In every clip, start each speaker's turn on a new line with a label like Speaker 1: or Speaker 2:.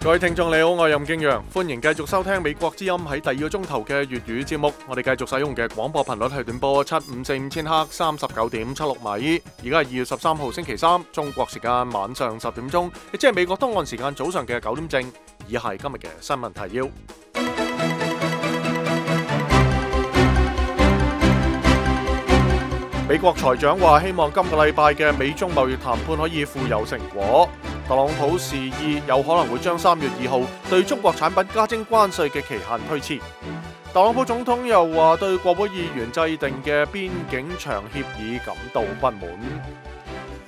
Speaker 1: 各位聽眾你好，我係任敬陽，歡迎繼續收聽美國之音喺第二個鐘頭嘅粵語節目。我哋繼續使用嘅廣播頻率係短波7545千赫39.76米。而家係2月13號星期三，中國時間晚上10點鐘，亦即係美國東岸時間早上嘅9點正。以下係今日嘅新聞提要。美國財長話希望今個禮拜嘅美中貿易談判可以富有成果。特朗普示意有可能會將3月2號對中國產品加徵關稅嘅期限推遲。特朗普總統又話對國會議員制定嘅邊境牆協議感到不滿。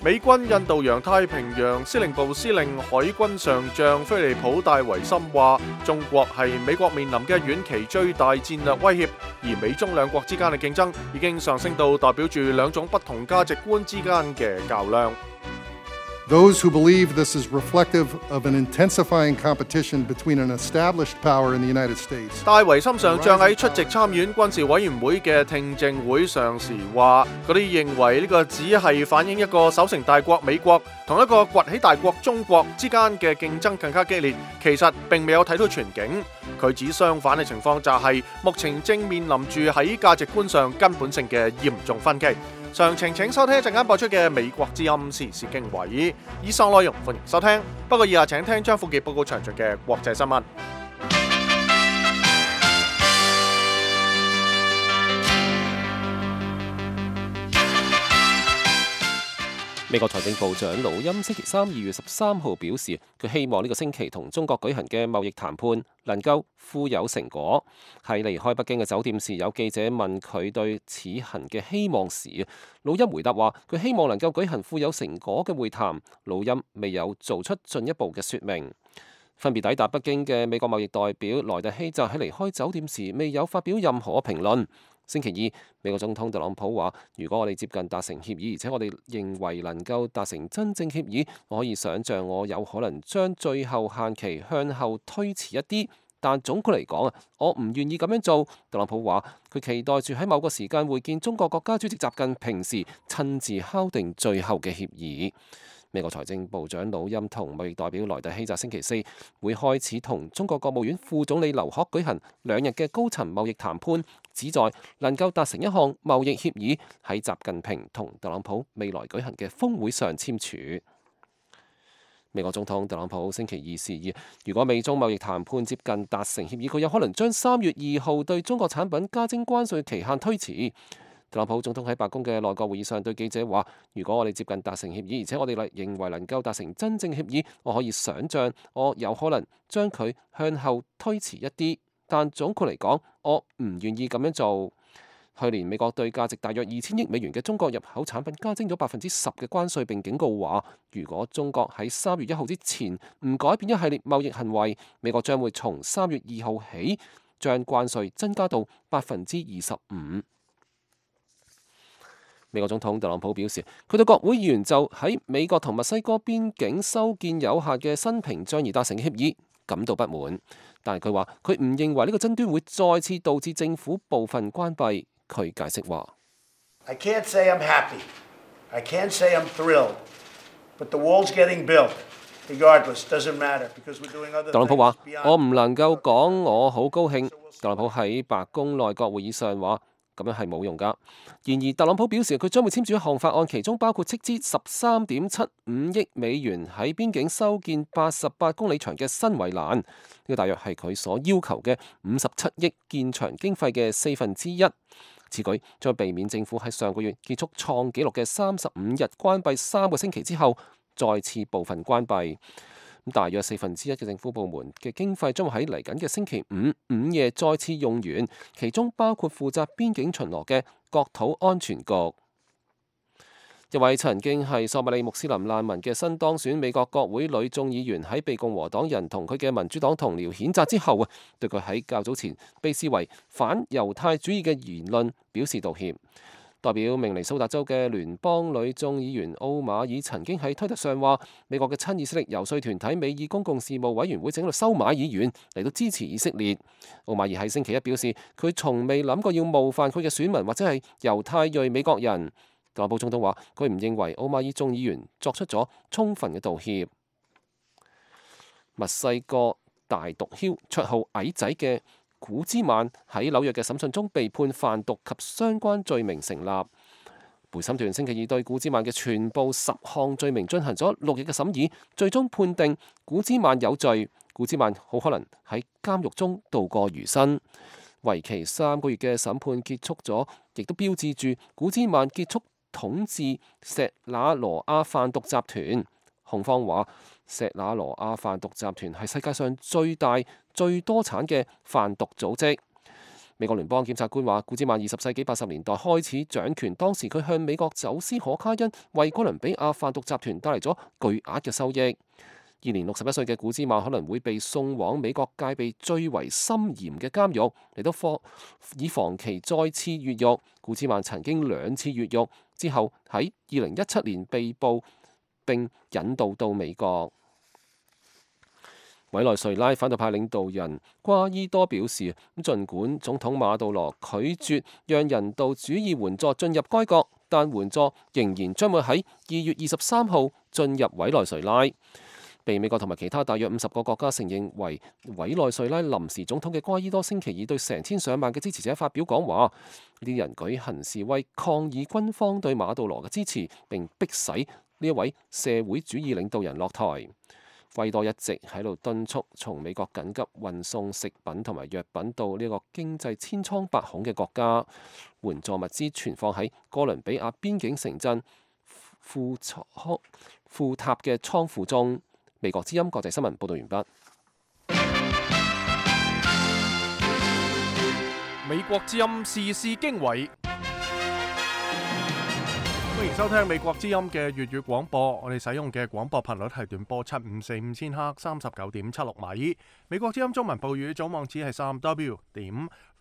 Speaker 1: 美軍印度洋太平洋司令部司令海軍上將菲利普戴維森話，中國係美國面臨嘅遠期最大戰略威脅，而美中兩國之間嘅競爭已經上升到代表住兩種不同價值觀之間嘅較量。
Speaker 2: Those who believe this is reflective of an intensifying competition between an established power in the United States。
Speaker 1: 戴維森上將喺出席參院軍事委員會嘅聽證會上時話，嗰啲認為呢個只係反映一個守成大國美國同一個崛起大國中國之間嘅競爭更加激烈，其實並未有睇到全景。佢指相反嘅情況就係目前正面臨住喺價值觀上根本性嘅嚴重分歧。詳情請收聽一陣間播出嘅美國之音時事經緯，以上內容歡迎收聽。不過以下請聽張富傑報告詳盡嘅國際新聞。
Speaker 3: 美國財政部長魯欽星期三2月13號表示，佢希望呢個星期同中國舉行嘅貿易談判能夠富有成果。喺離開北京嘅酒店時，有記者問佢對此行嘅希望時，魯欽回答話佢希望能夠舉行富有成果嘅會談。魯欽未有做出進一步嘅說明。分別抵達北京嘅美國貿易代表萊特希澤喺離開酒店時未有發表任何評論。星期二，美國總統特朗普話：如果我哋接近達成協議，而且我哋認為能夠達成真正協議，我可以想像我有可能將最後限期向後推遲一啲。但總括嚟講啊，我唔願意咁樣做。特朗普話：佢期待住喺某個時間會見中國國家主席習近平時，親自敲定最後嘅協議。美國財政部長魯欽同貿易代表萊特希澤星期四會開始同中國國務院副總理劉鶴舉行2日嘅高層貿易談判，旨在能夠達成一項貿易協議，喺習近平同特朗普未來舉行嘅峰會上簽署。美國總統特朗普星期二示意，如果美中貿易談判接近達成協議，佢有可能將3月2號對中國產品加徵關稅期限推遲。特朗普總統喺白宮嘅內閣會議上對記者話：如果我哋接近達成協議，而且我哋認為能夠達成真正協議，我可以想像我有可能將佢向後推遲一啲。但總括嚟講，我唔願意咁樣做。去年美國對價值大約2000億美元嘅中國入口產品加徵咗10%嘅關稅，並警告話，如果中國喺3月1號之前唔改變一系列貿易行為，美國將會從3月2號起將關稅增加到25%。美國總統特朗普表示，佢對國會議員就喺美國同墨西哥邊境修建有效嘅新屏障而達成協議感到不滿，但係佢話佢唔認為呢個爭端會再次導致政府部分關閉。佢解釋話：
Speaker 4: I can't say I'm happy. I can't say I'm thrilled. But the wall's getting built. Regardless, doesn't matter because we're doing other things.
Speaker 3: 特朗普話：我唔能夠講我好高興。特朗普喺白宮內閣會議上話：咁樣係冇用㗎。然而，特朗普表示佢將會簽署一項法案，其中包括斥資13.75億美元喺邊境修建88公里長嘅新圍欄。呢個大約係佢所要求嘅57億建牆經費嘅1/4。此舉將避免政府喺上個月結束創紀錄嘅35日關閉3個星期之後，再次部分關閉。大約1/4嘅政府部門嘅經費將會喺嚟緊嘅星期五午夜再次用完，其中包括負責邊境巡邏嘅國土安全局。一位曾經係索馬里穆斯林難民嘅新當選美國國會女眾議員喺被共和黨人同佢嘅民主黨同僚譴責之後，對佢喺較早前被視為反猶太主義嘅言論表示道歉。代表明尼蘇達州嘅聯邦女眾議員奧馬爾曾經喺推特上話，美國嘅親以色列遊說團體美意公共事務委員會整到收買議員嚟到支持以色列。奧馬爾喺星期一表示，佢從未諗過要冒犯佢嘅選民或者係猶太裔美國人。特朗普總統話，佢唔認為奧馬爾眾議員作出咗充分嘅道歉。墨西哥大毒梟綽號矮仔嘅古茲曼喺紐約嘅審訊中被判販毒及相關罪名成立。陪審團星期二對古茲曼嘅全部10項罪名進行咗6日嘅審議，最終判定古茲曼有罪。古茲曼好可能喺監獄中度過餘生。為期3個月嘅審判結束咗，亦都標誌住古茲曼結束統治錫那羅亞販毒集團。控方話，錫那羅亞販毒集團係世界上最大、最多產嘅販毒組織。美國聯邦檢察官話，古茲曼20世紀80年代開始掌權，當時佢向美國走私可卡因，為哥倫比亞販毒集團帶嚟咗巨額嘅收益。現年61歲嘅古茲曼可能會被送往美國戒備最為森嚴嘅監獄嚟到以防其再次越獄。古茲曼曾經2次越獄，之後喺2017年被捕並引渡到美國。委內瑞拉反對派領導人瓜伊多表示，儘管總統馬杜羅拒絕讓人道主義援助進入該國，但援助仍然將會喺2月23號進入委內瑞拉。被美國同埋其他大約50個國家承認為委內瑞拉臨時總統嘅瓜伊多星期二對成千上萬嘅支持者發表講話，呢啲人舉行示威抗議軍方對馬杜羅嘅支持，並迫使呢一位社會主義領導人落台。瓜伊多一直喺度敦促從美國緊急運送食品同埋藥品到呢個經濟千瘡百孔嘅國家，援助物資存放喺哥倫比亞邊境城鎮庫塔嘅倉庫中。美國之音國際新聞報道完畢。
Speaker 1: 美國之音時事經緯，歡迎收聽美國之音嘅粵語廣播。我哋使用嘅廣播頻率係短波7545千赫39.76米。美國之音中文報語總網址係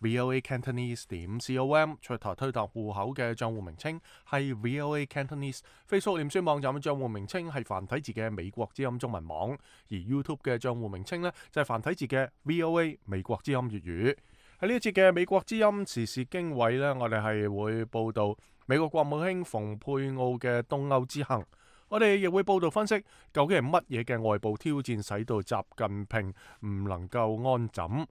Speaker 1: 3w.voacantonese.com。出台推特戶口嘅賬戶名稱係 VOA Cantonese。Facebook 臉書網站嘅賬戶名稱係繁體字嘅美國之音中文網，而 YouTube 嘅賬戶名稱呢，就係繁體字嘅 VOA 美國之音粵語。喺呢一節嘅美國之音時事經緯呢，我哋係會報道美國國務卿蓬佩奧嘅東歐之行。我哋亦會報道分析究竟係乜嘢嘅外部挑戰使到習近平唔能夠安枕，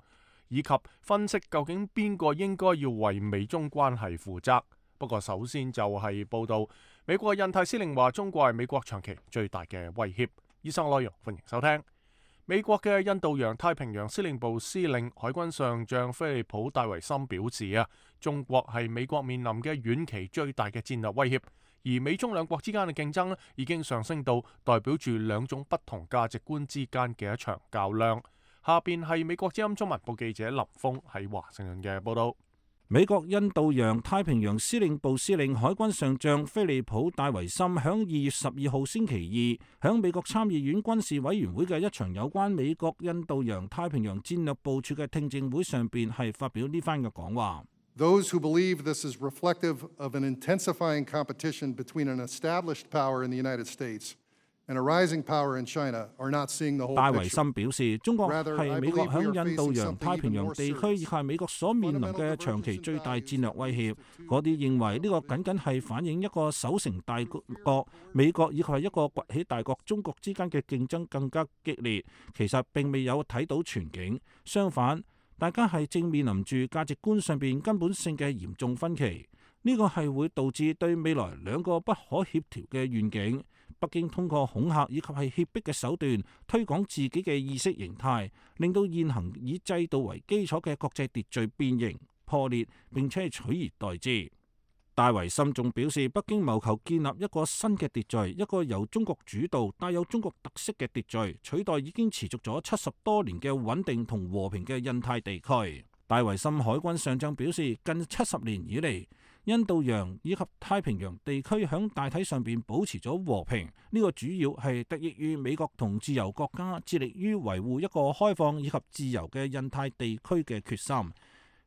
Speaker 1: 以及分析究竟邊個應該要為美中關係負責。不過首先就係報道美國印太司令話中國係美國長期最大嘅威脅。以上內容歡迎收聽。美國嘅印度洋太平洋司令部司令海軍上將菲利普戴維森表示中國係美國面臨嘅遠期最大嘅戰略威脅。而美中兩國之間嘅競爭已經上升到代表住兩種不同價值觀之間嘅一場較量。下邊係美國之音中文部記者林峰喺華盛頓嘅報道。
Speaker 5: 美國印度洋太平洋司令部司令海軍上將菲利普戴維森響2月12號星期二響美國參議院軍事委員會嘅一場有關美國印度洋太平洋戰略部署嘅聽證會上邊係發表呢番嘅講話。
Speaker 2: Those who believe this is reflective of an intensifying competition between an established power in the United States and a rising power in China are not seeing the whole picture.
Speaker 5: 戴維森表示，中國係美國響印度洋太平洋地區以及係美國所面臨嘅長期最大戰略威脅。嗰啲認為呢個僅僅係反映一個守成大國美國以及係一個崛起大國中國之間嘅競爭更加激烈，其實並未有睇到全景。相反，大家係正面臨住價值觀上邊根本性嘅嚴重分歧，呢個係會導致對未來兩個不可協調嘅願景。北京通過恐嚇以及係脅迫嘅手段推廣自己嘅意識形態，令到現行以制度為基礎嘅國際秩序變形破裂，並且取而代之。戴維森仲表示，北京謀求建立一個新嘅秩序，一個由中國主導、帶有中國特色嘅秩序，取代已經持續咗70多年嘅穩定同和平嘅印太地區。戴維森海軍上將表示，近70年以嚟，印度洋以及太平洋地區響大體上邊保持咗和平，呢個主要係得益於美國同自由國家致力於維護一個開放以及自由嘅印太地區嘅決心。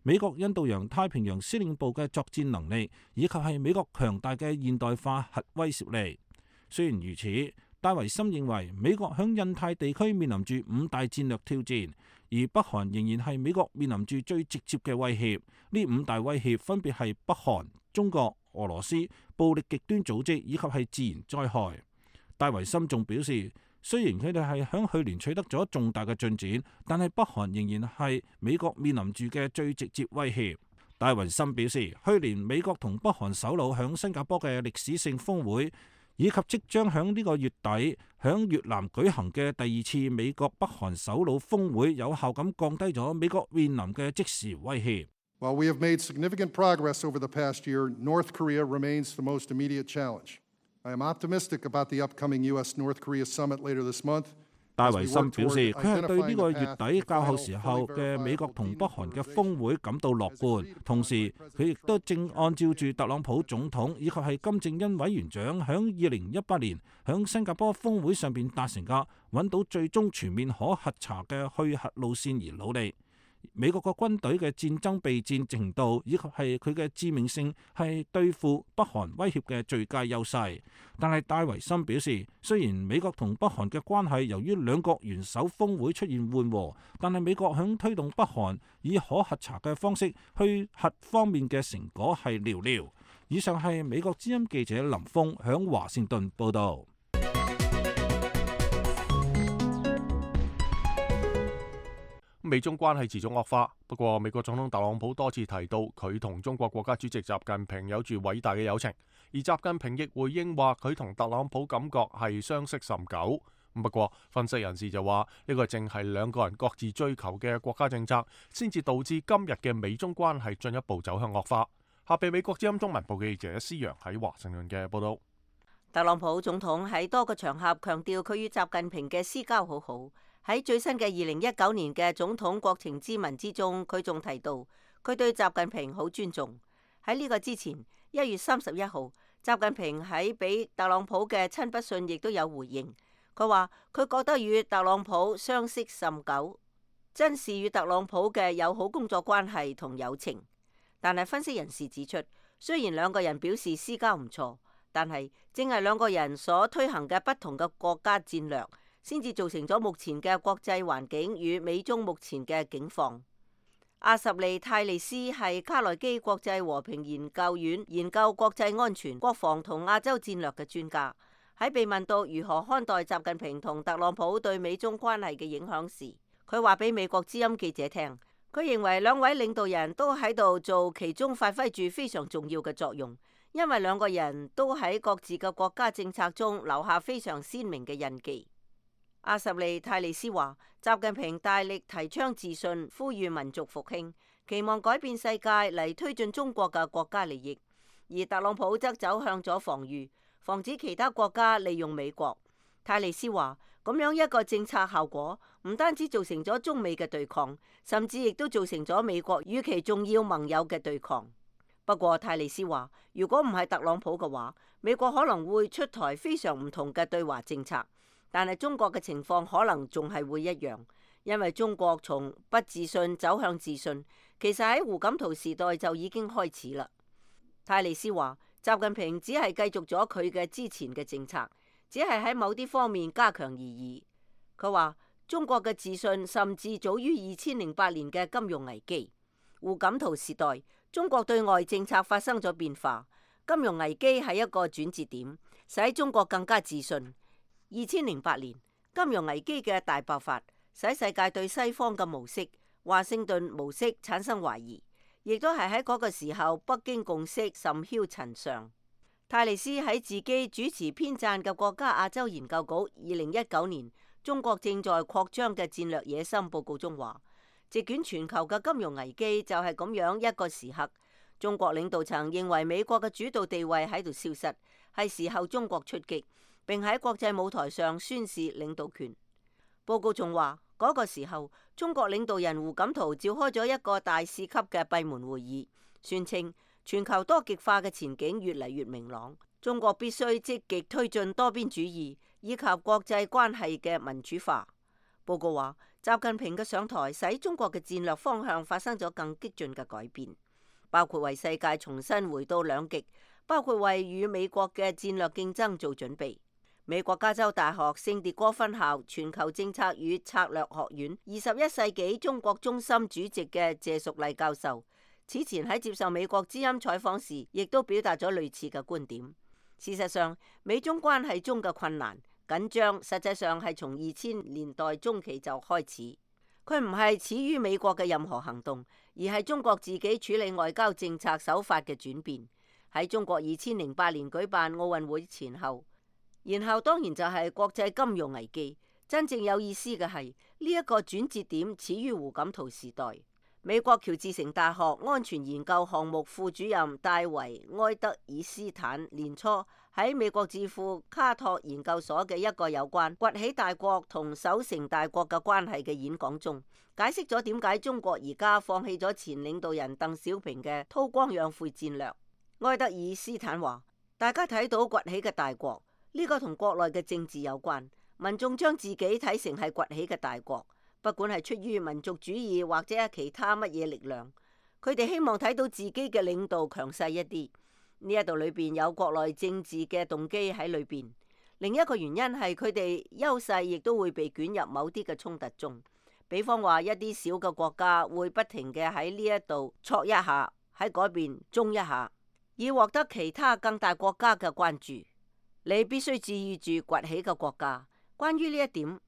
Speaker 5: 美國印度洋太平洋司令部嘅作戰能力，以及係美國強大嘅現代化核威懾力。雖然如此，戴維森認為美國響印太地區面臨住5大戰略挑戰，而北韓仍然係美國面臨住最直接嘅威脅。呢5大威脅分別係北韓、中國、俄羅斯、暴力極端組織以及係自然災害。戴維森仲表示，雖然佢哋係響去年取得咗重大嘅進展，但係北韓仍然係美國面臨住嘅最直接威脅。戴維森表示，去年美國同北韓首腦響新加坡嘅歷史性峰會，以及即將響呢個月底響越南舉行嘅第2次美國北韓首腦峰會，有效咁降低咗美國面臨嘅即時威脅。
Speaker 2: While we have made significant progress over the past year, North Korea remains the most immediate challenge. I am optimistic about the upcoming U.S.-North Korea summit later this month.
Speaker 5: 戴維森表示，佢係對呢個月底較後時候嘅美國同北韓嘅峰會感到樂觀，同時佢亦都正按照住特朗普總統以及係金正恩委員長響2018年響新加坡峰會上邊達成嘅揾到最終全面可核查嘅去核路線而努力。美國嘅軍隊嘅戰爭備戰程度以及係佢嘅致命性係對付北韓威脅嘅最佳優勢，但係戴維森表示，雖然美國同北韓嘅關係由於兩國元首峰會出現緩和，但係美國響推動北韓以可核查嘅方式去核方面嘅成果係寥寥。以上係美國之音記者林峰響華盛頓報道。
Speaker 1: 美中關係持續惡化，不過美國總統特朗普多次提到佢同中國國家主席習近平有住偉大嘅友情，而習近平亦回應話佢同特朗普感覺係相識甚久。不過分析人士就話呢個正係兩個人各自追求嘅國家政策，先至導致今日嘅美中關係進一步走向惡化。下邊美國之音中文部記者施洋喺華盛頓嘅報道。
Speaker 6: 特朗普總統喺多個場合強調佢與習近平嘅私交好好。喺最新嘅2019年嘅總統國情咨文之中，佢仲提到佢對習近平好尊重。喺呢個之前，1月31號，習近平喺俾特朗普嘅親筆信亦都有回應。佢話佢覺得與特朗普相識甚久，珍視與特朗普嘅友好工作關係同友情。但係分析人士指出，雖然兩個人表示私交唔錯，但係正係兩個人所推行嘅不同嘅國家戰略，先至造成咗目前嘅國際環境與美中目前嘅境況。阿什利泰利斯係卡內基國際和平研究院研究國際安全、國防同亞洲戰略嘅專家，喺被問到如何看待習近平同特朗普對美中關係嘅影響時，佢話俾美國之音記者聽，佢認為兩位領導人都喺度做其中發揮住非常重要嘅作用，因為兩個人都喺各自嘅國家政策中留下非常鮮明嘅印記。阿什利泰利斯話，習近平大力提倡自信，呼籲民族復興，期望改變世界嚟推進中國嘅國家利益，而特朗普則走向咗防禦，防止其他國家利用美國。泰利斯話，咁樣一個政策效果唔單止造成咗中美嘅對抗，甚至亦都造成咗美國與其重要盟友嘅對抗。不過泰利斯話，如果唔係特朗普嘅話，美國可能會出台非常唔同嘅對華政策。但係中國嘅情況可能仲係會一樣，因為中國從不自信走向自信，其實喺胡錦濤時代就已經開始啦。泰利斯話，習近平只係繼續咗佢嘅之前嘅政策，只係喺某啲方面加強而已。佢話中國嘅自信甚至早於2008年嘅金融危機。胡錦濤時代，中國對外政策發生咗變化，金融危機係一個轉折點，使中國更加自信。2008年金融危機嘅大爆發，使世界對西方嘅模式、華盛頓模式產生懷疑，亦都係喺嗰個時候北京共識甚囂塵上。泰利斯喺自己主持編撰嘅國家亞洲研究局2019年中國正在擴張嘅戰略野心報告中話，席捲全球嘅金融危機就係咁樣一個時刻，中國領導層認為美國嘅主導地位喺度消失，係時候中國出擊，並喺國際舞台上宣示領導權。報告仲話，嗰個時候中國領導人胡錦濤召開咗一個大使級嘅閉門會議，宣稱全球多極化嘅前景越嚟越明朗，中國必須積極推進多邊主義以及國際關係嘅民主化。報告話，習近平嘅上台使中國嘅戰略方向發生咗更激進嘅改變，包括為世界重新回到兩極，包括為與美國嘅戰略競爭做準備。美國加州大學聖迭戈分校全球政策與策略學院21世紀中國中心主席嘅謝淑麗教授，此前喺接受美國之音採訪時，亦都表達咗類似嘅觀點。事實上，美中關係中嘅困難緊張實際上係從2000年代中期就開始。佢唔係始於美國嘅任何行動，而係中國自己處理外交政策手法嘅轉變。喺中國2008年舉辦奧運會前後，然後當然就係國際金融危機。真正有意思嘅係呢一個轉折點始於胡錦濤時代。美國喬治城大學安全研究項目副主任戴維埃德爾斯坦年初喺美國智庫卡托研究所嘅一個有關崛起大國同守成大國嘅關係嘅演講中，解釋咗點解中國而家放棄咗前領導人鄧小平嘅韜光養晦戰略。埃德爾斯坦話：大家睇到崛起嘅大國，呢個同國內嘅政治有關，民眾將自己睇成係崛起嘅大國。不管係出於民族主義或者係其他乜嘢力量，佢哋希望睇到自己嘅領導強勢一啲。呢一度裏邊有國內政治嘅動機喺裏邊。另一個原因係佢哋優勢亦都會被捲入某啲嘅衝突中。比方話一啲小嘅國家會不停嘅喺呢一度挫一下，喺嗰邊中一下，以獲得其他更大國家嘅關注。你必須注意住崛起嘅國家。關於呢一點，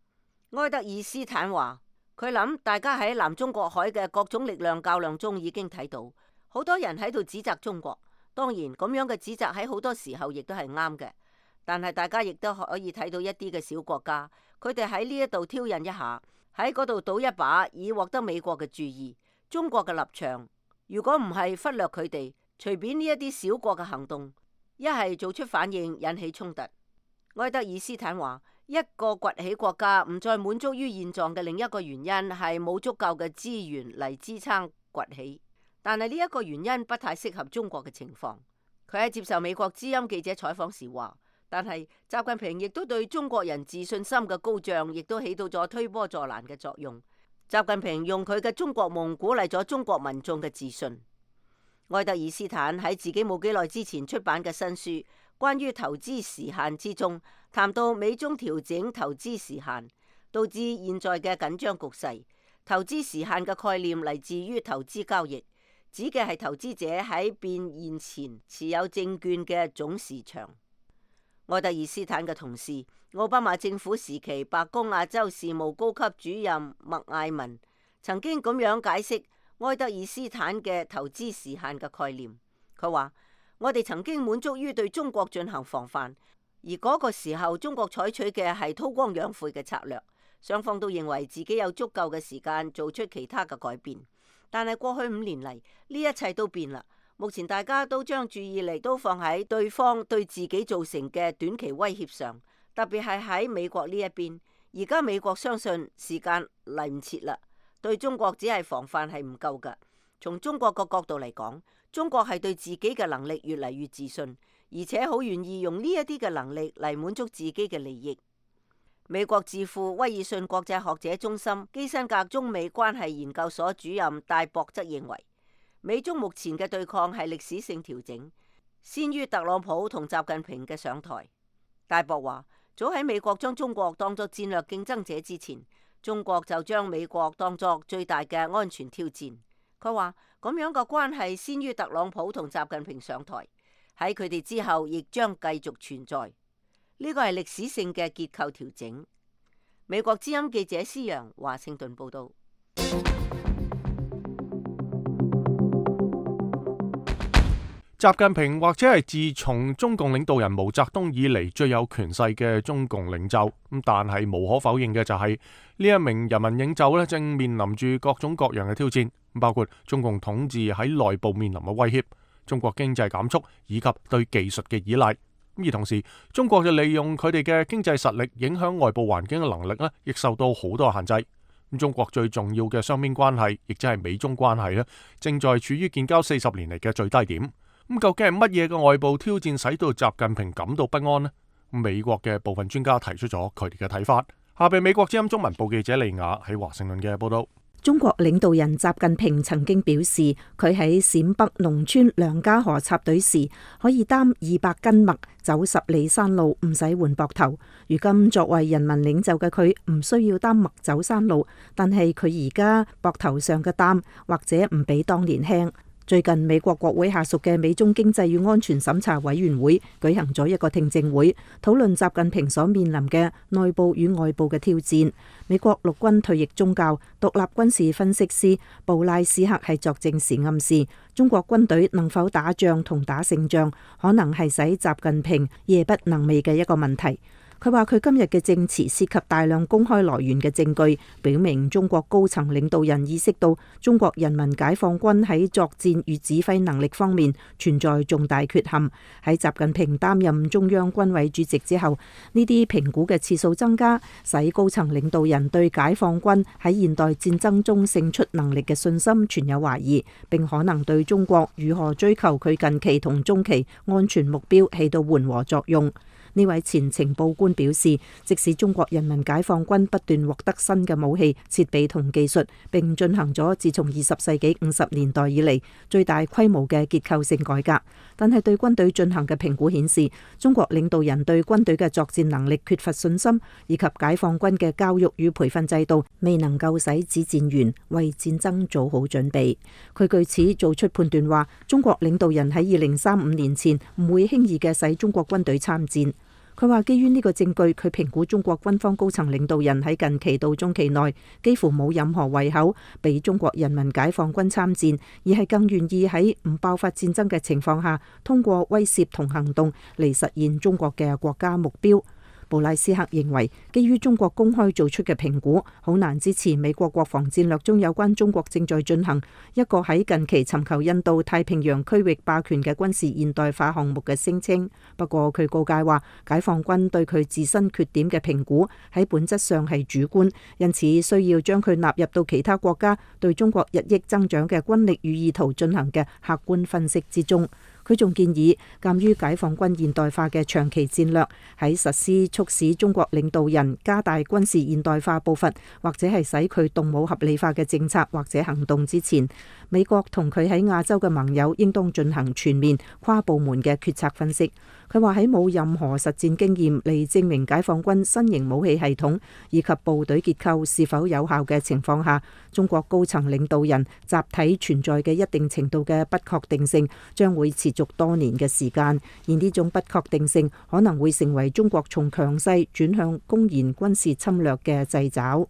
Speaker 6: 埃德爾斯坦話。佢諗大家喺南中國海嘅各種力量較量中已經睇到，好多人喺度指責中國。當然咁樣嘅指責喺好多時候亦都係啱嘅，但係大家亦都可以睇到一啲嘅小國家，佢哋喺呢一度挑釁一下，喺嗰度賭一把，以獲得美國嘅注意。中國嘅立場如果唔係忽略佢哋，隨便呢一啲小國嘅行動，一係做出反應引起衝突。埃德爾斯坦話。一個崛起國家唔再滿足於現狀嘅另一個原因係冇足夠嘅資源嚟支撐崛起，但係呢一個原因不太適合中國嘅情況。佢喺接受美國之音記者採訪時話，但係習近平亦都對中國人自信心嘅高漲，亦都起到咗推波助瀾嘅作用。習近平用佢嘅中國夢鼓勵咗中國民眾嘅自信。埃德爾斯坦喺自己冇幾耐之前出版嘅新書關於投資時限之中，談到美中調整投資時限，導致現在嘅緊張局勢。投資時限嘅概念嚟自於投資交易，指嘅係投資者喺變現前持有證券嘅總市場。埃德爾斯坦嘅同事，奧巴馬政府時期白宮亞洲事務高級主任麥艾文曾經咁樣解釋埃德爾斯坦嘅投資時限嘅概念。佢話：我哋曾經滿足於對中國進行防範，而嗰個時候中國採取嘅係韜光養晦嘅策略，雙方都認為自己有足夠嘅時間做出其他嘅改變。但係過去5年嚟，呢一切都變啦。目前大家都將注意力都放喺對方對自己造成嘅短期威脅上，特別係喺美國呢一邊。而家美國相信時間嚟唔切啦，對中國只係防範係唔夠㗎。從中國個角度嚟講，中國係對自己嘅能力越嚟越自信，而且好願意用呢一啲嘅能力嚟滿足自己嘅利益。美國智庫威爾遜國際學者中心基辛格中美關係研究所主任戴博則認為，美中目前嘅對抗係歷史性調整，先於特朗普同習近平嘅上台。戴博話：早喺美國將中國當作戰略競爭者之前，中國就將美國當作最大嘅安全挑戰。佢話咁樣嘅關係先於特朗普同習近平上台，喺佢哋之後亦將繼續存在。呢個係歷史性嘅結構調整。美國之音記者施洋華盛頓報道。
Speaker 1: 習近平或者係自從中共領導人毛澤東以嚟最有權勢嘅中共領袖，但係無可否認嘅就係呢一名人民領袖咧，正面臨住各種各樣嘅挑戰，包括中共統治喺內部面臨嘅威脅、中國經濟減速以及對技術嘅依賴。而同時，中國就利用佢哋嘅經濟實力影響外部環境嘅能力咧，亦受到好多限制。中國最重要嘅雙邊關係，亦即係美中關係咧，正在處於建交40年嚟嘅最低點。究竟係乜嘢嘅外部挑戰使到習近平感到不安呢？美國嘅部分專家提出咗佢哋嘅睇法。下邊美國之音中文部記者利亞喺華盛頓嘅報道。
Speaker 7: 中國領導人習近平曾經表示，佢喺陝北農村梁家河插隊時，可以擔200斤麥走10里山路，唔使換膊頭。如今作為人民領袖嘅佢，唔需要擔麥走山路，但係佢而家膊頭上嘅擔或者唔比當年輕。最近美國國會下屬嘅美中經濟與安全審查委員會舉行咗一個聽證會，討論習近平所面臨嘅內部與外部嘅挑戰。美國陸軍退役中校、獨立軍事分析師布拉斯克係作證時暗示，中國軍隊能否打仗同打勝仗，可能係使習近平夜不能寐嘅一個問題。佢話佢今日嘅證詞涉及大量公開來源嘅證據，表明中國高層領導人意識到中國人民解放軍喺作戰與指揮能力方面存在重大缺陷。喺習近平擔任中央軍委主席之後，呢啲評估嘅次數增加，使高層領導人對解放軍喺現代戰爭中勝出能力嘅信心存有懷疑，並可能對中國如何追求佢近期同中期安全目標起到緩和作用。呢位前情報官表示，即使中國人民解放軍不斷獲得新嘅武器、設備同技術，並進行咗自從20世紀50年代以嚟最大規模嘅結構性改革，但係對軍隊進行嘅評估顯示，中國領導人對軍隊嘅作戰能力缺乏信心，以及解放軍嘅教育與培訓制度未能夠使指戰員為戰爭做好準備。佢據此做出判斷話，中國領導人喺2035年前唔會輕易嘅使中國軍隊參戰。佢話基於呢個證據，佢評估中國軍方高層領導人喺近期到中期內幾乎冇任何胃口俾中國人民解放軍參戰，而係更願意喺唔爆發戰爭嘅情況下，通過威懾同行動嚟實現中國嘅國家目標。布拉斯克認為，基於中國公開做出嘅評估，好難支持美國國防戰略中有關中國正在進行一個喺近期尋求印度太平洋區域霸權嘅軍事現代化項目嘅聲稱。不過佢告誡話，解放軍對佢自身缺點嘅評估喺本質上係主觀，因此需要將佢納入到其他國家對中國日益增長嘅軍力與意圖進行嘅客觀分析之中。佢仲建議，鑑於解放軍現代化嘅長期戰略，喺實施促使中國領導人加大軍事現代化步伐，或者係使佢動武合理化嘅政策或者行動之前，美國同佢喺亞洲嘅盟友應當進行全面跨部門嘅決策分析。佢話喺冇任何實戰經驗嚟證明解放軍新型武器系統以及部隊結構是否有效嘅情況下，中國高層領導人集體存在嘅一定程度嘅不確定性將會持續多年嘅時間，而呢種不確定性可能會成為中國從強勢轉向公然軍事侵略嘅掣肘。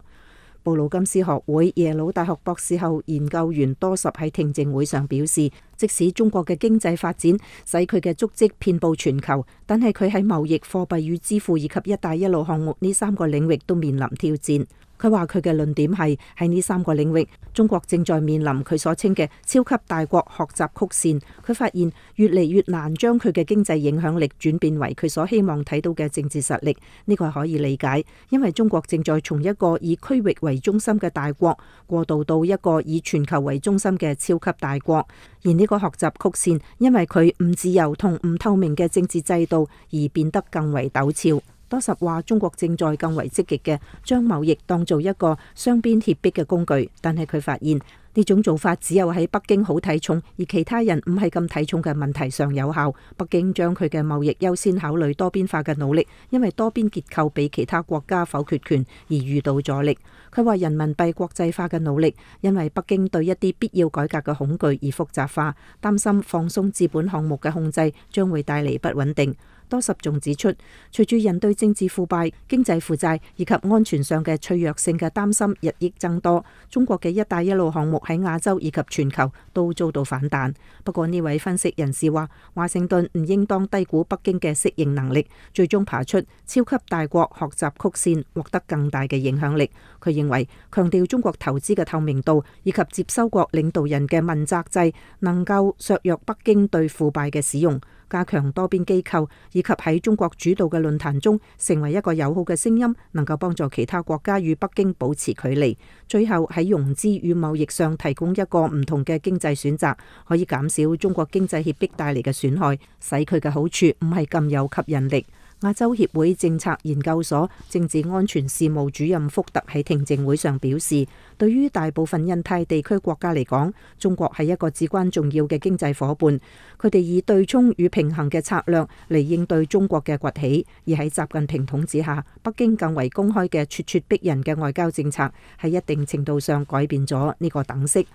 Speaker 7: 布魯金斯學會耶魯大學博士後研究員多什喺聽證會上表示，即使中國嘅經濟發展使佢嘅足跡遍佈全球，但係佢喺貿易、貨幣與支付以及一帶一路項目呢3個領域都面臨挑戰。佢話佢嘅論點係喺呢3個領域，中國正在面臨佢所稱嘅超級大國學習曲線。佢發現越嚟越難將佢嘅經濟影響力轉變為佢所希望睇到嘅政治實力。呢個係可以理解，因為中國正在從一個以區域為中心嘅大國過渡到一個以全球為中心嘅超級大國。而呢個學習曲線因為佢唔自由同唔透明嘅政治制度而變得更為陡峭。多什話中國正在更為積極嘅將貿易當做一個雙邊脅迫嘅工具，但係佢發現呢種做法只有喺北京好睇重而其他人唔係咁睇重嘅問題上有效。北京將佢嘅貿易優先考慮多邊化嘅努力，因為多邊結構俾其他國家否決權而遇到阻力。佢話人民幣國際化嘅努力，因為北京對一啲必要改革嘅恐懼而複雜化，擔心放鬆資本項目嘅控制將會帶嚟不穩定。多什仲指出，隨住人對政治腐敗、經濟負債以及安全上嘅脆弱性嘅擔心日益增多，中國嘅一帶一路項目喺亞洲以及全球都遭到反彈。不過呢位分析人士話，華盛頓唔應當低估北京嘅適應能力，最終爬出超級大國學習曲線，獲得更大嘅影響力。佢認為強調中國投資嘅透明度以及接收國領導人嘅問責制，能夠削弱北京對腐敗嘅使用，加強多邊機構，以及喺中國主導嘅論壇中成為一個友好嘅聲音，能夠幫助其他國家與北京保持距離。最後喺融資與貿易上提供一個唔同嘅經濟選擇，可以減少中國經濟脅迫帶嚟嘅損害，使佢嘅好處唔係咁有吸引力。亞洲協會政策研究所政治安全事務主任福特喺聽證會上表示，對於大部分印太地區國家嚟講，中國係一個至關重要嘅經濟夥伴。佢哋以對沖與平衡嘅策略嚟應對中國嘅崛起，而喺習近平統治下，北京更為公開嘅咄咄逼人嘅外交政策，喺一定程度上改變咗呢個等式。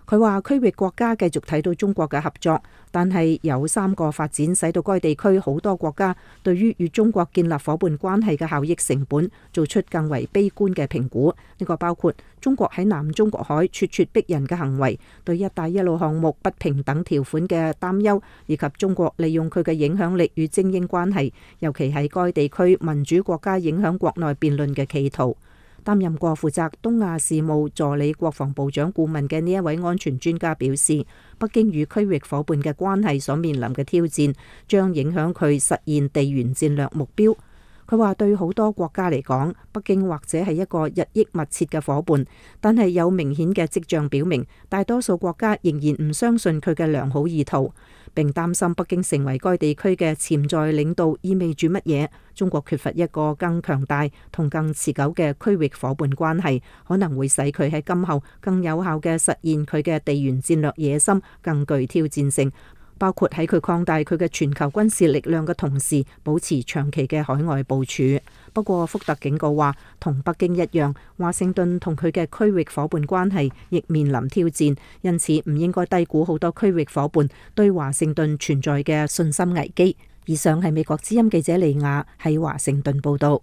Speaker 7: 佢話區域國家繼續睇到中國嘅合作，但係有3個發展使到該地區好多國家對於與中國建立伙伴關係嘅效益成本做出更為悲觀嘅評估。呢個包括中國喺南中國海咄咄逼人嘅行為，對一帶一路項目不平等條款嘅擔憂，以及中國利用佢嘅影響力與精英關係，尤其係該地區民主國家影響國內辯論嘅企圖。擔任過負責東亞事務助理國防部長顧問嘅呢一位安全專家表示，北京與區域伙伴嘅關係所面臨嘅挑戰，將影響佢實現地緣戰略目標。佢話對好多國家嚟講，北京或者係一個日益密切嘅伙伴，但係有明顯嘅跡象表明，大多數國家仍然唔相信佢嘅良好意圖，並擔心北京成為該地區嘅潛在領導意味住乜嘢。中國缺乏一個更強大同更持久嘅區域伙伴關係，可能會使佢喺今後更有效嘅實現佢嘅地緣戰略野心更具挑戰性，包括喺佢擴大佢嘅全球軍事力量嘅同時，保持長期嘅海外部署。不過福特警告話，同北京一樣，華盛頓同佢嘅區域伙伴關係亦面臨挑戰，因此唔應該低估好多區域伙伴對華盛頓存在嘅信心危機。以上係美國之音記者利亞喺華盛頓報道。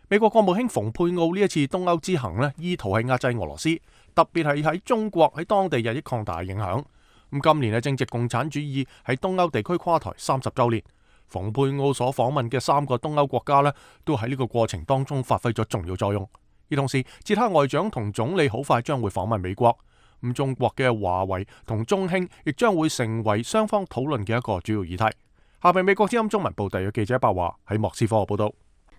Speaker 1: 美國國務卿蓬佩奧呢一次東歐之行呢，意圖係壓制俄羅斯，特別係喺中國喺當地日益擴大嘅影響。咁今年係正值共產主義喺東歐地區垮台30週年，蓬佩奧所訪問嘅3個東歐國家呢，都喺呢個過程當中發揮咗重要作用。而同時，捷克外長同總理好快將會訪問美國。咁中國嘅華為同中興亦將會成為雙方討論嘅一個主要議題。下邊美國之音中文部特約記者白華喺莫斯科報道。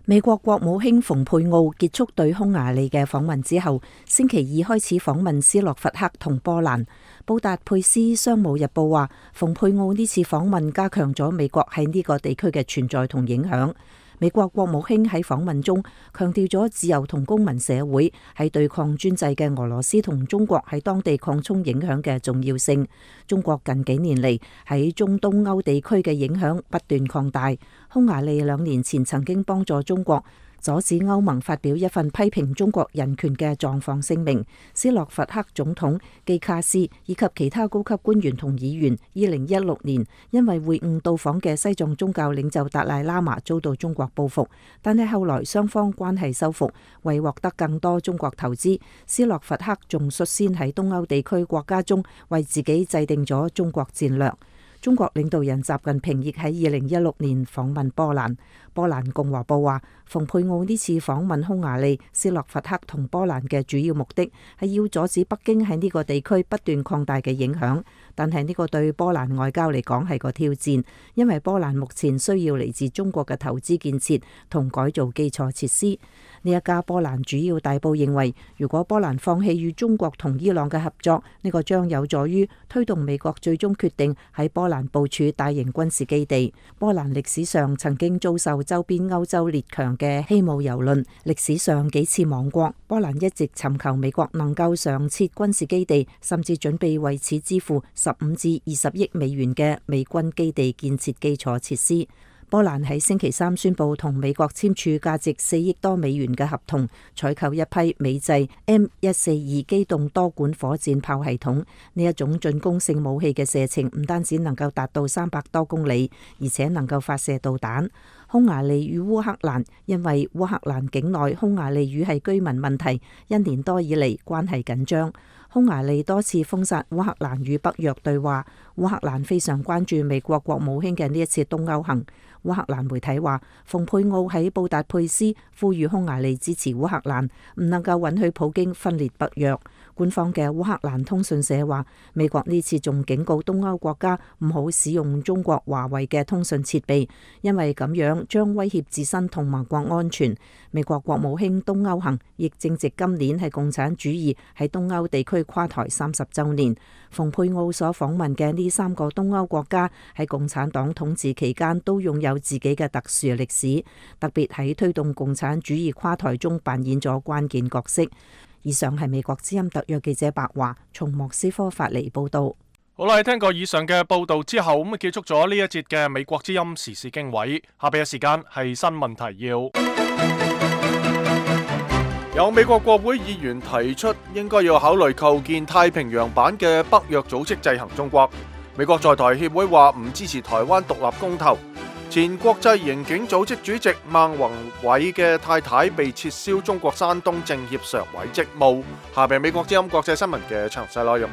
Speaker 7: 美國國務卿蓬佩奧結束對匈牙利嘅訪問之後，星期二開始訪問斯洛伐克同波蘭。布達佩斯商務日報話，蓬佩奧呢次訪問加強咗美國喺呢個地區嘅存在同影響。美國國務卿喺訪問中強調咗自由同公民社會喺對抗專制嘅俄羅斯同中國喺當地擴充影響嘅重要性。中國近幾年嚟喺中東歐地區嘅影響不斷擴大。匈牙利2年前曾經幫助中國阻止歐盟發表一份批評中國人權嘅狀況聲明。斯洛伐克總統基卡斯以及其他高級官員同議員2016年因為會晤到訪嘅西藏宗教領袖達賴喇嘛遭到中國報復，但係後來雙方關係修復，為獲得更多中國投資，斯洛伐克仲率先喺東歐地區國家中為自己制定咗中國戰略。中國領導人習近平亦喺2016年訪問波蘭。波蘭共和報話，蓬佩奧呢次訪問匈牙利、斯洛伐克同波蘭嘅主要目的係要阻止北京喺呢個地區不斷擴大嘅影響。但係呢個對波蘭外交嚟講係個挑戰，因為波蘭目前需要嚟自中國嘅投資建設同改造基礎設施。呢一家波蘭主要大報認為，如果波蘭放棄與中國同伊朗嘅合作，呢個將有助於推動美國最終決定喺波蘭部署大型軍事基地。波蘭歷史上曾經遭受周邊歐洲列強嘅欺侮蹂躪，歷史上幾次亡國。波蘭一直尋求美國能夠常設軍事基地，甚至準備為此支付15至20億美元嘅美軍基地建設基礎設施。波蘭喺星期3宣布同美國簽署價值4億多美元嘅合同，採購一批美製 M142機動多管火箭炮系統。呢一種進攻性武器嘅射程唔單止能夠達到300多公里，而且能夠發射導彈。匈牙利與烏克蘭因為烏克蘭境內匈牙利語系居民問題，1年多以嚟關係緊張。匈牙利多次封殺烏克蘭與北約對話。烏克蘭非常關注美國國務卿嘅呢一次東歐行。烏克蘭媒體話，蓬佩奧喺布達佩斯呼籲匈牙利支持烏克蘭，唔能夠允許普京分裂北約。官方嘅烏克蘭通訊社話，美國呢次仲警告東歐國家唔好使用中國華為嘅通訊設備，因為咁樣將威脅自身同盟國安全。美國國務卿東歐行亦正值今年係共產主義喺東歐地區垮台30週年。蓬佩奧所訪問嘅呢3個東歐國家喺共產黨統治期間都擁有自己嘅特殊歷史，特別喺推動共產主義垮台中扮演咗關鍵角色。以上係美國之音特約記者白華從莫斯科發嚟報道。
Speaker 1: 好啦，聽過以上嘅報道之後，咁結束咗呢一節嘅美國之音時事經緯。下邊嘅時間係新聞提要。有美國國會議員提出，應該要考慮構建太平洋版嘅北約組織制衡中國。美國在台協會話唔支持台灣獨立公投。前國際刑警組織主席孟宏偉嘅太太被撤銷中國山東政協常委職務。下邊美國之音國際新聞嘅詳細內容。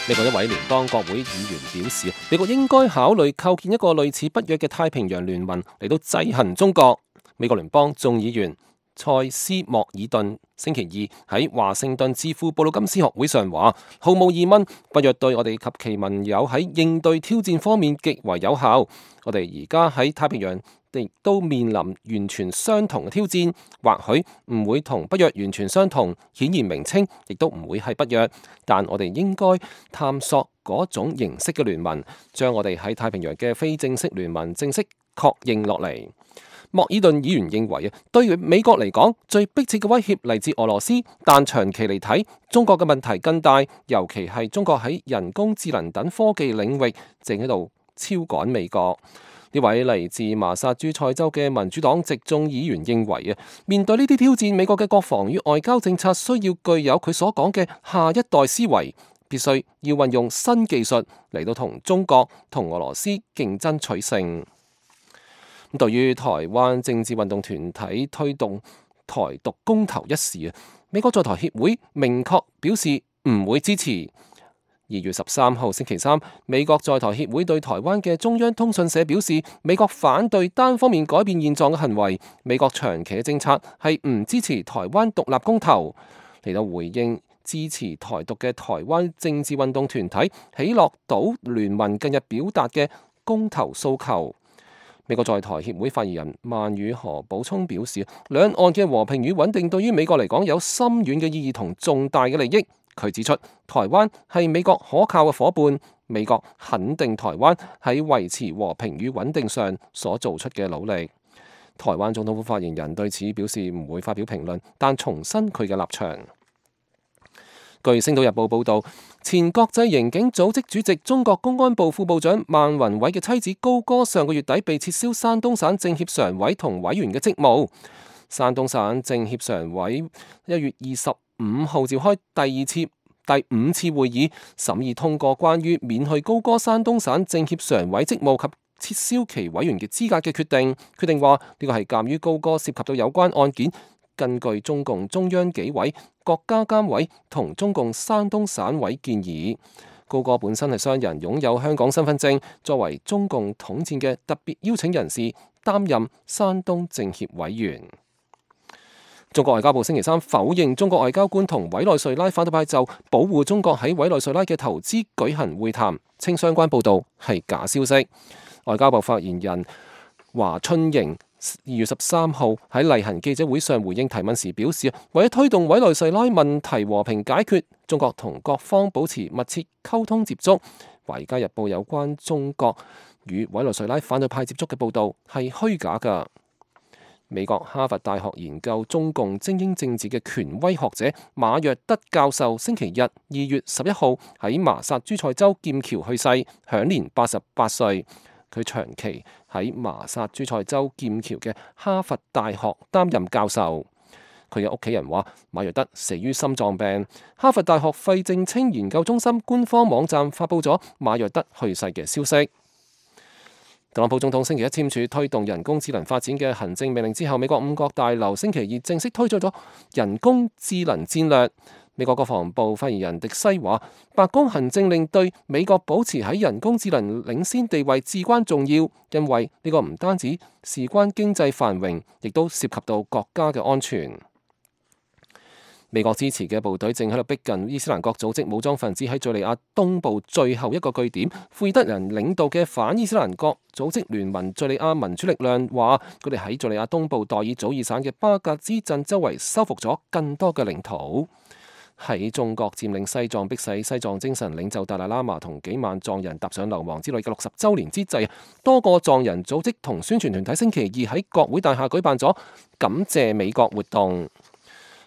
Speaker 3: 美國一位聯邦國會議員表示，美國應該考慮構建一個類似北約嘅太平洋聯盟嚟到制衡中國。美國聯邦眾議員塞斯莫爾頓星期二喺華盛頓智庫布魯金斯學會上話，毫無疑問，北約對我哋及其盟友喺應對挑戰方面極為有效。我哋而家喺太平洋亦都面臨完全相同嘅挑戰，或許唔會同北約完全相同，顯然名稱亦都唔會係北約，但我哋應該探索嗰種形式嘅聯盟，將我哋喺太平洋嘅非正式聯盟正式確認落嚟。莫爾頓議員認為啊，對美國嚟講，最迫切嘅威脅嚟自俄羅斯，但長期嚟睇，中國嘅問題更大，尤其係中國喺人工智能等科技領域正喺度超趕美國。呢位嚟自麻薩諸塞州嘅民主黨籍眾議員認為啊，面對呢啲挑戰，美國嘅國防與外交政策需要具有佢所講嘅下一代思維，必須要運用新技術嚟到同中國同俄羅斯競爭取勝。對於台灣政治運動團體推動台獨公投一事啊，美國在台協會明確表示唔會支持。2月13號星期三，美國在台協會對台灣嘅中央通訊社表示，美國反對單方面改變現狀嘅行為。美國長期嘅政策係唔支持台灣獨立公投。嚟到回應支持台獨嘅台灣政治運動團體喜樂島聯盟近日表達嘅公投訴求。美國在台協會發言人曼宇何補充表示，兩岸嘅和平與穩定對於美國嚟講有深遠嘅意義同重大嘅利益。佢指出，台灣係美國可靠嘅夥伴，美國肯定台灣喺維持和平與穩定上所做出嘅努力。台灣總統府發言人對此表示唔會發表評論，但重申佢嘅立場。據《星島日報》報導，前國際刑警組織主席、中國公安部副部長孟宏偉嘅妻子高歌上個月底被撤銷山東省政協常委同委員嘅職務。山東省政協常委1月25號召開第五次會議，審議通過關於免去高歌山東省政協常委職務及撤銷其委員嘅資格嘅決定。決定話呢個係鑑於高歌涉及到有關案件，根據中共中央紀委、國家監委同中共山東省委建議，高歌本身係商人，擁有香港身份證，作為中共統戰嘅特別邀請人士，擔任山東政協委員。中國外交部星期三否認中國外交官同委內瑞拉反對派就保護中國喺委內瑞拉嘅投資舉行會談，稱相關報導係假消息。外交部發言人華春瑩2月13號喺例行記者會上回應提問時表示，為咗推動委內瑞拉問題和平解決，中國同各方保持密切溝通接觸。華爾街日報有關中國與委內瑞拉反對派接觸嘅報導係虛假㗎。美國哈佛大學研究中共精英政治嘅權威學者馬約德教授星期日2月11號喺麻薩諸塞州劍橋去世，享年88歲。佢長期喺麻薩諸塞州劍橋嘅哈佛大學擔任教授。佢嘅屋企人話，馬約德死於心臟病。哈佛大學費正清研究中心官方網站發布咗馬約德去世嘅消息。特朗普總統星期一簽署推動人工智能發展嘅行政命令之後，美國五角大樓星期二正式推出咗人工智能戰略。美國國防部發言人迪西話，白宮行政令對美國保持喺人工智能領先地位至關重要，因為呢個唔單止事關經濟繁榮，亦都涉及到國家嘅安全。美國支持嘅部隊正喺度逼近伊斯蘭國組織武裝分子喺敘利亞東部最後一個據點。庫爾德人領導嘅反伊斯蘭國組織聯盟敘利亞民主力量話，佢哋喺敘利亞東部代爾祖爾省嘅巴格茲鎮周圍收復咗更多嘅領土。喺中國佔領西藏，迫使西藏精神領袖達賴喇嘛同幾萬藏人踏上流亡之旅嘅60週年之際，多個藏人組織同宣傳團體星期二喺國會大廈舉辦咗感謝美國活動。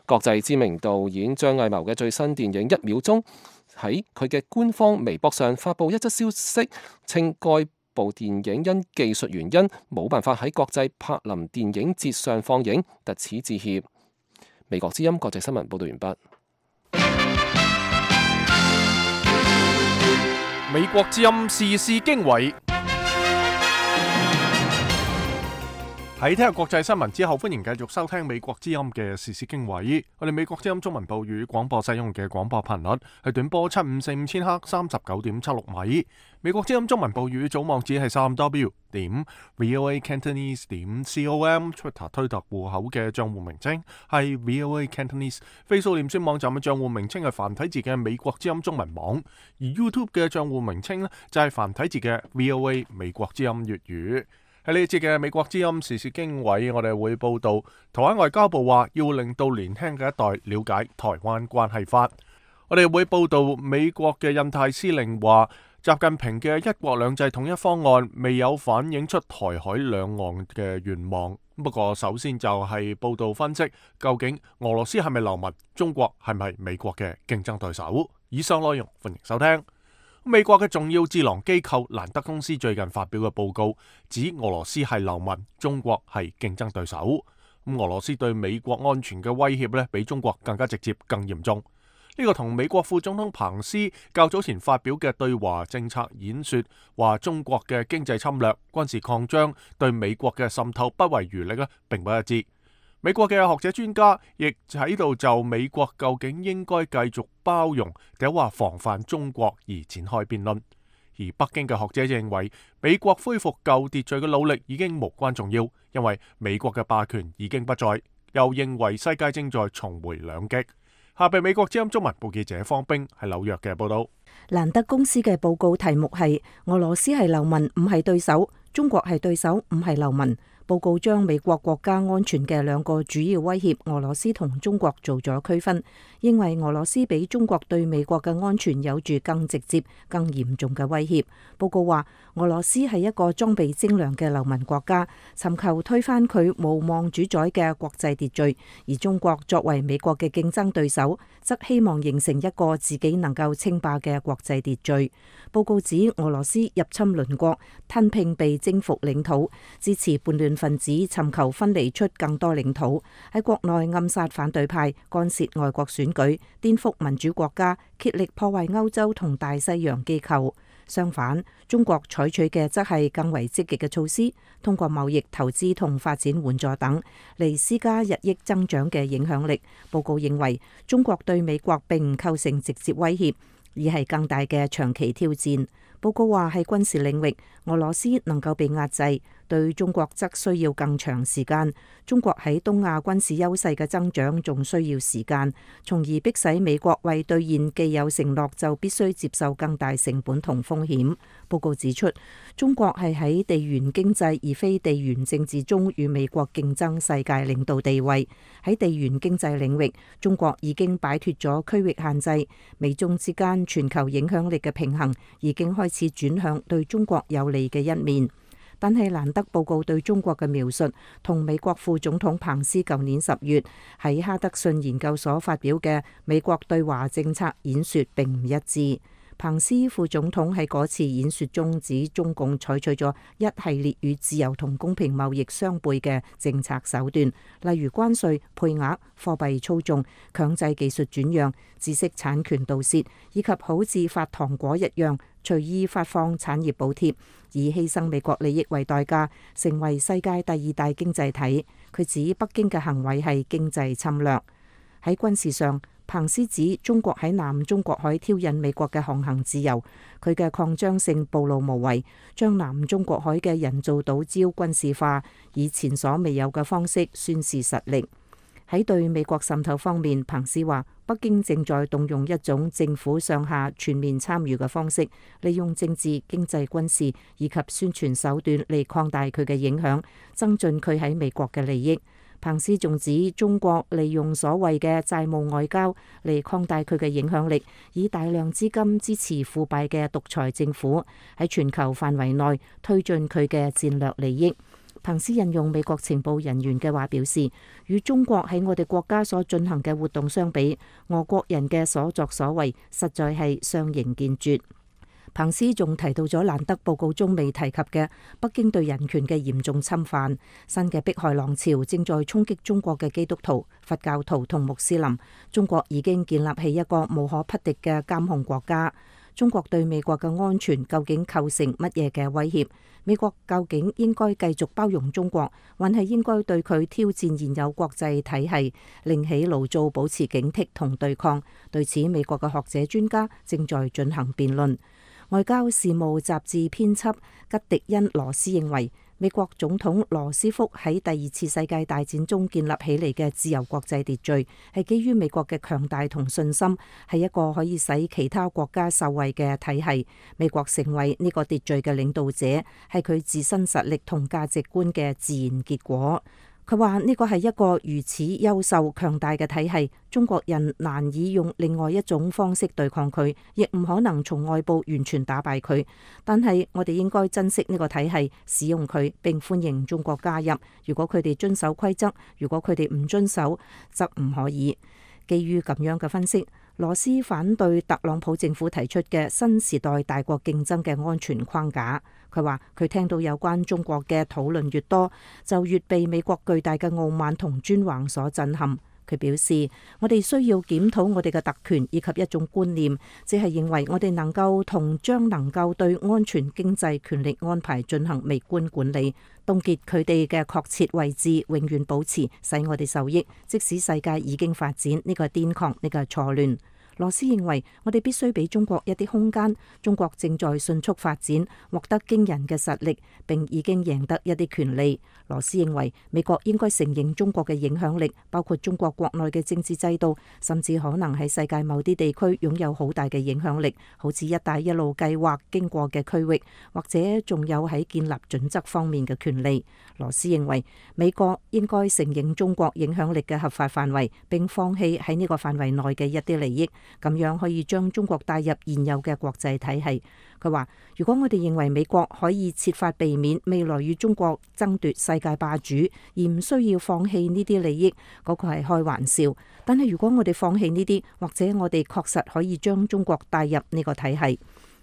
Speaker 3: 國際知名導演張藝謀嘅最新電影《1秒鐘》喺佢嘅官方微博上發布一則消息，稱該部電影因技術原因冇辦法喺國際柏林電影節上放映，特此致歉。美國之音國際新聞報道完畢。
Speaker 1: 美國之音時事經緯。喺聽日國際新聞之後，歡迎繼續收聽美國之音嘅時事經緯。我哋美國之音中文部語廣播使用嘅廣播頻率係短波7545千赫39.76米。美國之音中文部語總網址係3w.voacantonese.com。Twitter 推特戶口嘅賬戶名稱係 VOA Cantonese。Facebook 臉書網站嘅賬戶名稱係繁體字嘅美國之音中文網。而 YouTube 嘅賬戶名稱呢，就係繁體字嘅 VOA 美國之音粵語。喺呢一節嘅美國之音時事經緯，我哋會報道台灣外交部話要令到年輕嘅一代了解台灣關係法。我哋會報道美國嘅印太司令話，習近平嘅一國兩制統一方案未有反映出台海兩岸嘅願望。不過首先就係報道分析，究竟俄羅斯係咪流氓，中國係咪美國嘅競爭對手？以上內容歡迎收聽。美國嘅重要智囊機構蘭德公司最近發表嘅報告指，俄羅斯係流氓，中國係競爭對手。俄羅斯對美國安全嘅威脅比中國更加直接、更嚴重。呢個同美國副總統彭斯較早前發表嘅對華政策演說，話中國嘅經濟侵略、軍事擴張對美國嘅滲透不遺餘力並不一致。美國嘅學者專家亦喺度就美國究竟應該繼續包容定話防範中國而展開辯論。而北京嘅學者認為，美國恢復舊秩序嘅努力已經無關重要，因為美國嘅霸權已經不在，又認為世界正在重回兩極。下邊美國之音中文部記者方冰喺紐約嘅報道。
Speaker 7: 蘭德公司嘅報告題目係俄羅斯係流氓唔係對手，中國係對手唔係流氓。報告將美國國家安全嘅兩個主要威脅俄羅斯同中國做咗區分，認為俄羅斯比中國對美國嘅安全有住更直接、更嚴重嘅威脅。報告話，俄羅斯係一個裝備精良嘅流氓國家，尋求推翻佢無望主宰嘅國際秩序；而中國作為美國嘅競爭對手，則希望形成一個自己能夠稱霸嘅國際秩序。報告指俄羅斯入侵鄰國，吞併被征服領土，支持叛亂分子尋求分離出更多領土，喺國內暗殺反對派，干涉外國選舉，顛覆民主國家，竭力破壞歐洲同大西洋機構。相反，中國採取嘅則係更為積極嘅措施，通過貿易、投資同發展援助等嚟施加日益增長嘅影響力。報告認為，中國對美國並唔構成直接威脅，而係更大嘅長期挑戰。報告話，喺軍事領域，俄羅斯能夠被壓制，對中國則需要更長時間。中國喺東亞軍事優勢嘅增長仲需要時間，從而迫使美國為兌現既有承諾就必須接受更大成本同風險。報告指出，中國係喺地緣經濟而非地緣政治中與美國競爭世界領導地位。喺地緣經濟領域，中國已經擺脫咗區域限制，美中之間全球影響力嘅平衡已經開始轉向對中國有利嘅一面。但係蘭德報告對中國嘅描述同美國副總統彭斯舊年10月喺哈德遜研究所發表嘅美國對華政策演說並唔一致。彭斯副總統喺嗰次演說中指，中共採取咗一系列與自由同公平貿易相悖嘅政策手段，例如關稅、配額、貨幣操縱、強制技術轉讓、知識產權盜竊，以及好似發糖果一樣隨意發放產業補貼，以犧牲美國利益為代價，成為世界第2大經濟體。佢指北京嘅行為係經濟侵略。喺軍事上，彭斯指中國喺南中國海挑釁美國嘅航行自由，佢嘅擴張性暴露無遺，將南中國海嘅人造島礁軍事化，以前所未有嘅方式宣示實力。喺對美國滲透方面，彭斯話北京正在動用一種政府上下全面參與嘅方式，利用政治、經濟、軍事以及宣傳手段嚟擴大佢嘅影響，增進佢喺美國嘅利益。彭斯仲指中國利用所謂嘅債務外交嚟擴大佢嘅影響力，以大量資金支持腐敗嘅獨裁政府喺全球範圍內推進佢嘅戰略利益。彭斯引用美國情報人員嘅話表示，與中國喺我哋國家所進行嘅活動相比，俄國人嘅所作所為實在係相形見絀。彭斯仲提到咗蘭德報告中未提及嘅北京對人權嘅嚴重侵犯，新嘅迫害浪潮正在衝擊中國嘅基督徒、佛教徒同穆斯林。中國已經建立起一個無可匹敵嘅監控國家。中國對美國嘅安全究竟構成乜嘢嘅威脅？美國究竟應該繼續包容中國，還係應該對佢挑戰現有國際體系，另起爐灶，保持警惕同對抗？對此，美國嘅學者專家正在進行辯論。外交事務雜誌編輯吉迪恩·羅斯認為，美國總統羅斯福喺第二次世界大戰中建立起嚟嘅自由國際秩序，係基於美國嘅強大同信心，係一個可以使其他國家受惠嘅體系。美國成為呢個秩序嘅領導者，係佢自身實力同價值觀嘅自然結果。佢話呢個係一個如此優秀強大嘅體系，中國人難以用另外一種方式對抗佢，亦唔可能從外部完全打敗佢。但係我哋應該珍惜呢個體系，使用佢，並歡迎中國加入。如果佢哋遵守規則，如果佢哋唔遵守，則唔可以。基於咁樣嘅分析，羅斯反對特朗普政府提出嘅新時代大國競爭嘅安全框架。佢話佢聽到有關中國嘅討論越多，就越被美國巨大嘅傲慢同專橫所震撼。佢表示，我哋需要檢討我哋嘅特權以及一種觀念，即係認為我哋能夠同將能夠對安全、經濟、權力安排進行微觀管理，凍結佢哋嘅確切位置，永遠保持，使我哋受益，即使世界已經發展。呢個係癲狂，呢個係錯亂。羅斯認為，我哋必須俾中國一啲空間。中國正在迅速發展，獲得驚人嘅實力，並已經贏得一啲權利。羅斯認為，美國應該承認中國嘅影響力，包括中國國內嘅政治制度，甚至可能喺世界某啲地區擁有好大嘅影響力，好似一帶一路計劃經過嘅區域，或者仲有喺建立準則方面嘅權利。羅斯認為，美國應該承認中國影響力嘅合法範圍，並放棄喺呢個範圍內嘅一啲利益。咁樣可以將中國帶入現有嘅國際體系。佢話，如果我哋認為美國可以設法避免未來與中國爭奪世界霸主，而唔需要放棄呢啲利益，嗰個係開玩笑。但係如果我哋放棄呢啲，或者我哋確實可以將中國帶入呢個體系。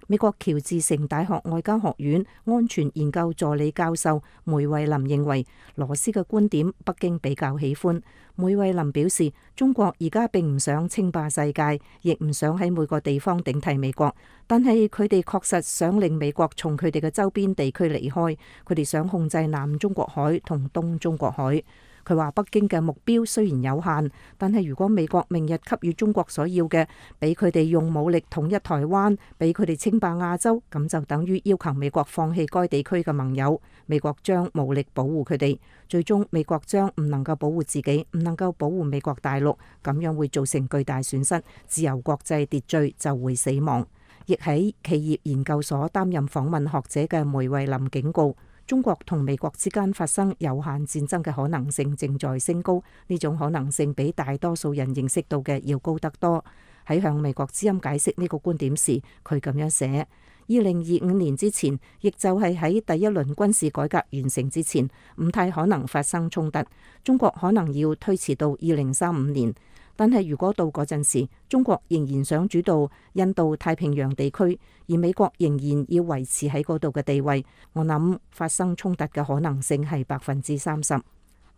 Speaker 7: 美國喬治城大學外交學院安全研究助理教授梅惠林認為，羅斯嘅觀點北京比較喜歡。梅惠林表示，中國而家並唔想稱霸世界，亦唔想喺每個地方頂替美國，但係佢哋確實想令美國從佢哋嘅周邊地區離開，佢哋想控制南中國海同東中國海。佢話北京嘅目標雖然有限，但係如果美國明日給予中國所要嘅，俾佢哋用武力統一台灣，俾佢哋稱霸亞洲，咁就等於要求美國放棄該地區嘅盟友。美國將武力保護佢哋，最終美國將唔能夠保護自己，唔能夠保護美國大陸，咁樣會造成巨大損失，自由國際秩序就會死亡。亦喺企業研究所擔任訪問學者嘅梅惠林警告，中國同美國之間發生有限戰爭嘅可能性正在升高，呢種可能性比大多數人認識到嘅要高得多。喺向美國之音解釋呢個觀點時，佢咁樣寫：2025年之前，亦就係喺第一輪軍事改革完成之前，唔太可能發生衝突。中國可能要推遲到2035年。但係如果到嗰陣時，中國仍然想主導印度太平洋地區，而美國仍然要維持喺嗰度嘅地位，我諗發生衝突嘅可能性係30%。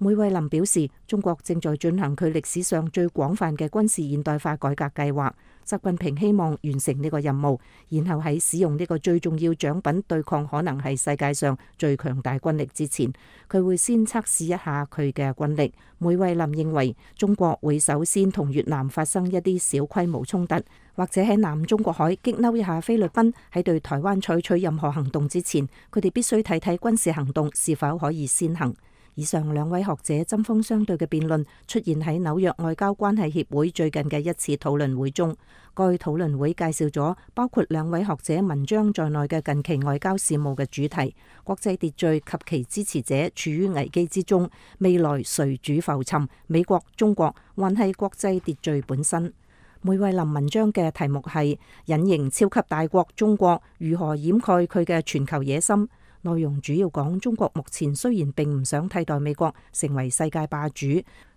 Speaker 7: 梅惠林表示，中國正在進行佢歷史上最廣泛嘅軍事現代化改革計劃。習近平希望完成呢個任務，然後喺使用呢個最重要獎品對抗可能係世界上最強大軍力之前，佢會先測試一下佢嘅軍力。梅惠林認為，中國會首先同越南發生一啲小規模衝突，或者喺南中國海激嬲一下菲律賓。喺對台灣採取任何行動之前，佢哋必須睇睇軍事行動是否可以先行。以上兩位學者針鋒相對嘅辯論出現喺紐約外交關係協會最近嘅一次討論會中。該討論會介紹咗包括兩位學者文章在內嘅近期外交事務嘅主題：國際秩序及其支持者處於危機之中，未來誰主浮沉？美國、中國，還係國際秩序本身？梅惠林文章嘅題目係隱形超級大國中國如何掩蓋佢嘅全球野心。內容主要講中國目前雖然並唔想替代美國成為世界霸主，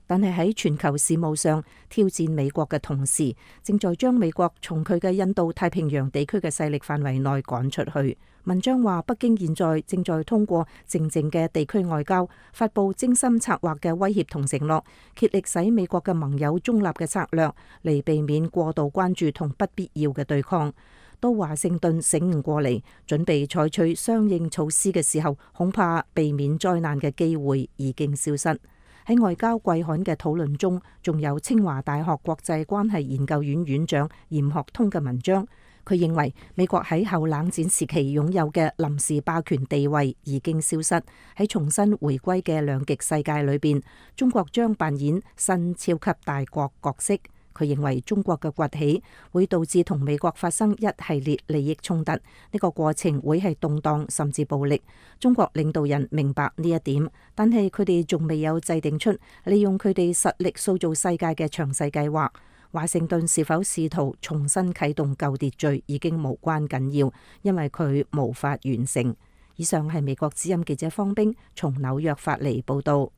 Speaker 7: 但係喺全球事務上挑戰美國嘅同時，正在將美國從佢嘅印度太平洋地區嘅勢力範圍內趕出去。文章話，北京現在正在通過靜靜嘅地區外交，發佈精心策劃嘅威脅同承諾，竭力使美國嘅盟友中立嘅策略，嚟避免過度關注同不必要嘅對抗。到華盛頓醒悟過嚟，準備採取相應措施嘅時候，恐怕避免災難嘅機會已經消失。喺外交季刊嘅討論中，仲有清華大學國際關係研究院院長嚴學通嘅文章。佢認為美國喺後冷戰時期擁有嘅臨時霸權地位已經消失，喺重新回歸嘅兩極世界裏邊，中國將扮演新超級大國角色。佢認為中國嘅崛起會導致同美國發生一系列利益衝突，呢個過程會係動盪甚至暴力。中國領導人明白呢一點，但係佢哋仲未有制定出利用佢哋實力塑造世界嘅詳細計劃。華盛頓是否試圖重新啟動舊秩序已經無關緊要，因為佢無法完成。以上係美國之音記者方冰從紐約發嚟報道。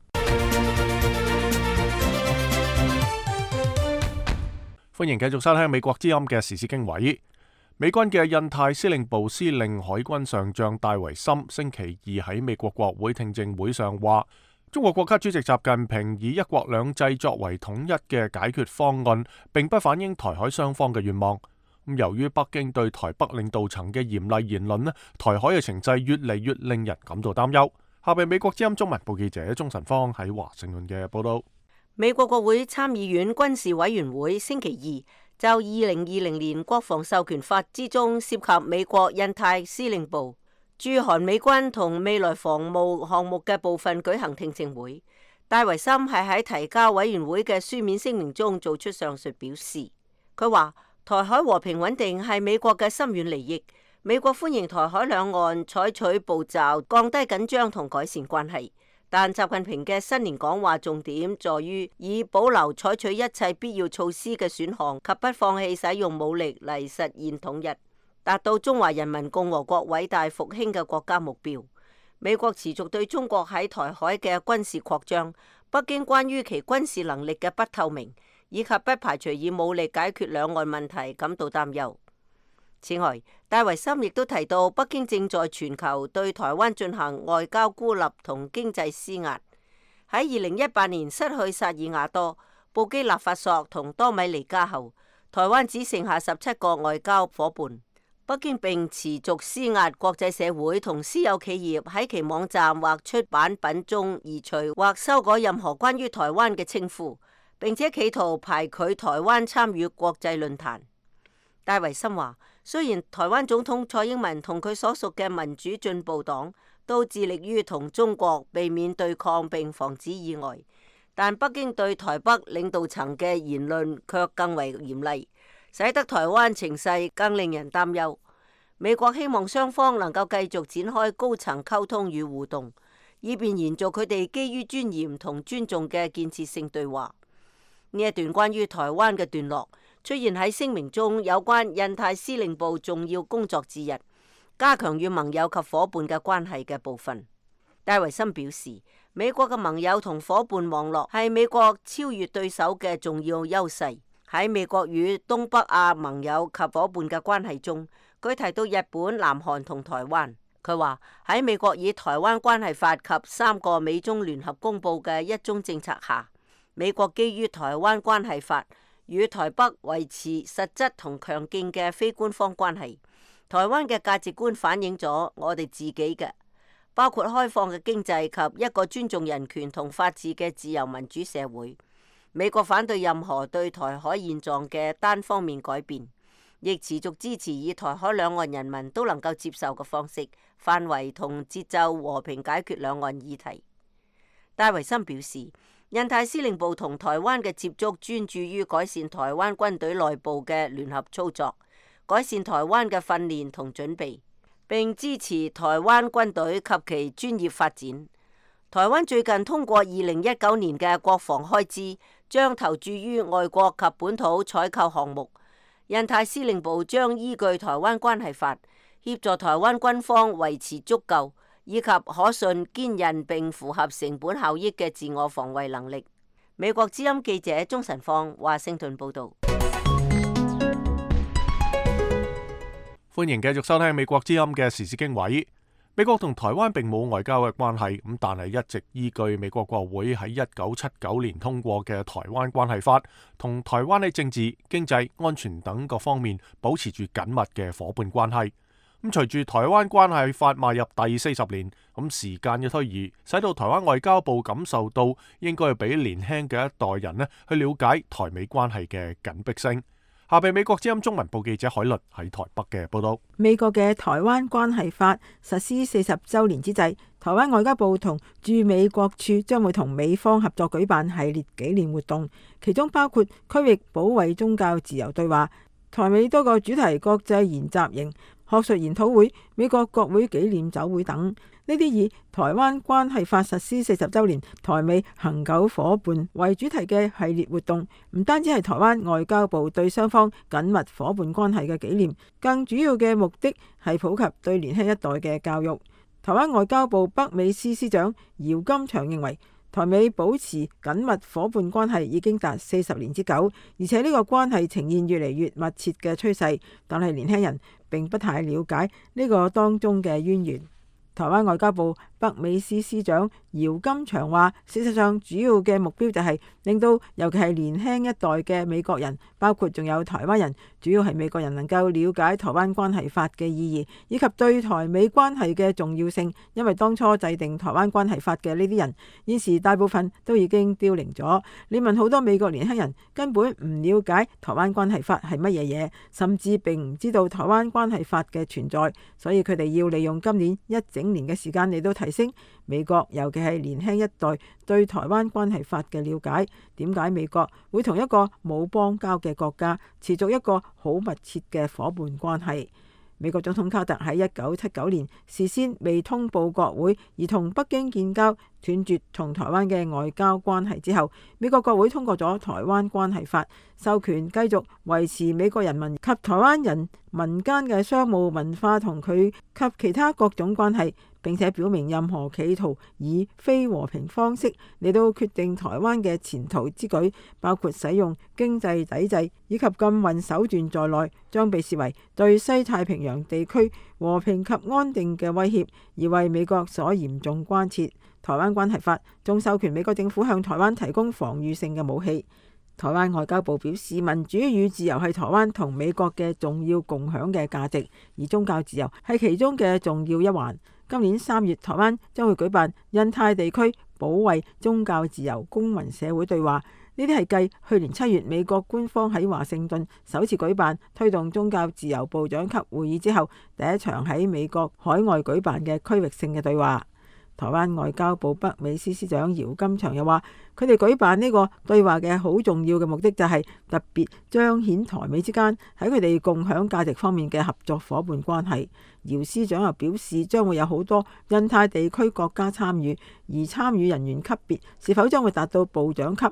Speaker 1: 歡迎繼續收聽美國之音嘅時事經緯。美軍嘅印太司令部司令海軍上將戴維森星期二喺美國國會聽證會上話，中國國家主席習近平以一國兩制作為統一嘅解決方案，並不反映台海雙方嘅願望。由於北京對台北領導層嘅嚴厲言論，台海嘅情勢越嚟越令人感到擔憂。下邊美國之音中文部記者鍾晨芳喺華盛頓嘅報道。
Speaker 6: 美國國會參議院軍事委員會星期二就2020年國防授權法之中涉及美國印太司令部駐韓美軍同未來防務項目嘅部分舉行聽證會。戴維森係喺提交委員會嘅書面聲明中做出上述表示。佢話台海和平穩定係美國嘅深遠利益，美國歡迎台海兩岸採取步驟降低緊張同改善關係。但習近平嘅新年講話重點在於以保留採取一切必要措施嘅選項及不放棄使用武力嚟實現統一，達到中華人民共和國偉大復興嘅國家目標。美國持續對中國喺台海嘅軍事擴張、北京關於其軍事能力嘅不透明，以及不排除以武力解決兩岸問題感到擔憂。此外，戴維森亦都提到，北京正在全球對台灣進行外交孤立同經濟施壓。喺2018年失去薩爾瓦多、布基納法索同多米尼加後，台灣只剩下17個外交夥伴。北京並持續施壓國際社會同私有企業喺其網站或出版品中移除或修改任何關於台灣嘅稱呼，並且企圖排拒台灣參與國際論壇。戴維森話，雖然台灣總統蔡英文同佢所屬嘅民主進步黨都致力於同中國避免對抗並防止意外，但北京對台北領導層嘅言論卻更為嚴厲，使得台灣情勢更令人擔憂。美國希望雙方能夠繼續展開高層溝通與互動，以便延續佢哋基於尊嚴同尊重嘅建設性對話。呢一段關於台灣嘅段落出現喺聲明中有關印太司令部重要工作之一，加強與盟友及夥伴嘅關係嘅部分。戴維森表示，美國嘅盟友同夥伴網絡係美國超越對手嘅重要優勢。喺美國與東北亞盟友及夥伴嘅關係中，佢提到日本、南韓同台灣。佢話喺美國以台灣關係法及3個美中聯合公佈嘅一中政策下，美國基於台灣關係法與台北維持實質同強勁嘅非官方關係。台灣嘅價值觀反映咗我哋自己嘅，包括開放嘅經濟及一個尊重人權同法治嘅自由民主社會。美國反對任何對台海現狀嘅單方面改變，亦持續支持以台海兩岸人民都能夠接受嘅方式、範圍同節奏和平解決兩岸議題。戴維森表示，印太司令部同台灣嘅接觸專注於改善台灣軍隊內部嘅聯合操作，改善台灣嘅訓練同準備，並支持台灣軍隊及其專業發展。台灣最近通過2019年嘅國防開支，將投注於外國及本土採購項目。印太司令部將依據台灣關係法，協助台灣軍方維持足夠以及可信、堅韌並符合成本效益嘅自我防衛能力。美國之音記者鍾晨放華盛頓報道。
Speaker 1: 歡迎繼續收聽美國之音嘅時事經緯。美國同台灣並冇外交嘅關係，咁但係一直依據美國國會喺1979年通過嘅《台灣關係法》，同台灣喺政治、經濟、安全等各方面保持住緊密嘅夥伴關係。咁隨住《台灣關係法》邁入第40年，咁時間嘅推移，使到台灣外交部感受到應該要俾年輕嘅一代人去了解台美關係嘅緊迫性。下邊美國之音中文部記者海律喺台北嘅報道。
Speaker 8: 美國嘅台灣關係法實施40週年之際，台灣外交部同駐美國處將會同美方合作舉辦系列紀念活動，其中包括區域保衛宗教自由對話、台美多個主題國際研習營、學術研討會、美國國會紀念酒會等。呢啲以台灣關係法實施40週年台美恆久夥伴為主題嘅系列活動，唔單止係台灣外交部對雙方緊密夥伴關係嘅紀念，更主要嘅目的係普及對年輕一代嘅教育。台灣外交部北美司司長姚金祥認為，台美保持緊密夥伴關係已經達40年之久，而且呢個關係呈現越嚟越密切嘅趨勢，但係年輕人並不太了解呢個當中嘅淵源。台灣外交部北美司司長姚金祥話，事實上主要嘅目標就係令到尤其係年輕一代嘅美國人，包括仲有台灣人，主要係美國人能夠了解台灣關係法嘅意義，以及對台美關係嘅重要性。因為當初制定台灣關係法嘅呢啲人，現時大部分都已經凋零咗。你問好多美國年輕人，根本唔了解台灣關係法係乜嘢嘢，甚至並唔知道台灣關係法嘅存在，所以佢哋要利用今年一整年嘅時間嚟到提升美國，尤其係年輕一代對台灣關係法嘅了解。點解美國會同一個冇邦交嘅國家持續一個好密切嘅夥伴關係？美國總統卡特喺1979年事先未通報國會而同北京建交，斷絕同台灣嘅外交關係之後，美國國會通過咗台灣關係法，授權繼續維持美國人民及台灣人民間嘅商務、文化同佢及其他各種關係，並且表明任何企圖以非和平方式嚟到決定台灣嘅前途之舉，包括使用經濟抵制以及禁運手段在內，將被視為對西太平洋地區和平及安定嘅威脅，而為美國所嚴重關切。台灣關係法仲授權美國政府向台灣提供防禦性嘅武器。台灣外交部表示，民主與自由係台灣同美國嘅重要共享嘅價值，而宗教自由係其中嘅重要一環。今年3月，台灣將會舉辦印太地區保衛宗教自由公民社會對話，呢啲係繼去年7月美國官方喺華盛頓首次舉辦推動宗教自由部長級會議之後，第一場喺美國海外舉辦嘅區域性嘅對話。台灣外交部北美司司長姚金祥又話，佢哋舉辦呢個對話嘅好重要嘅目的就係特別彰顯台美之間喺佢哋共享價值方面嘅合作夥伴關係。姚司長又表示，將會有好多印太地區國家參與，而參與人員級別是否將會達到部長級，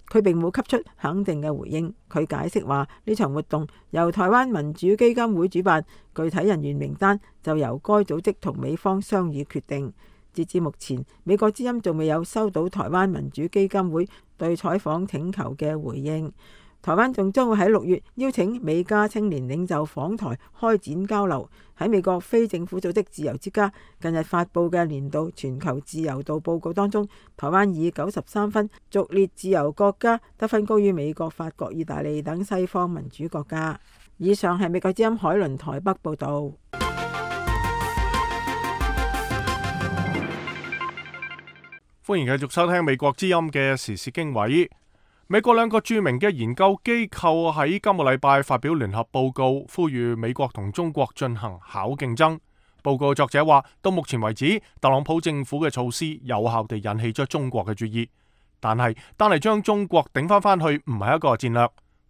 Speaker 8: 佢並冇給出肯定嘅回應。佢解釋話，呢場活動由台灣民主基金會主辦，具體人員名單就由該組織同美方商議決定。截至目前，美國之音仲未有收到台灣民主基金會對採訪請求嘅回應。台灣仲將會喺6月邀請美加青年領袖訪台開展交流。喺美國非政府組織自由之家近日發布嘅年度全球自由度報告當中，台灣以93分續列自由國家，得分高於美國、法國、意大利等西方民主國家。以上係美國之音海倫台北報導。
Speaker 1: 歡迎繼續收聽美國之音嘅時事經緯。美國兩個著名嘅研究機構喺今個禮拜發表聯合報告，呼籲美國同中國進行巧競爭。報告作者話，到目前為止，特朗普政府嘅措施有效地引起咗中國嘅注意，但係單嚟將中國頂翻去唔係一個戰略。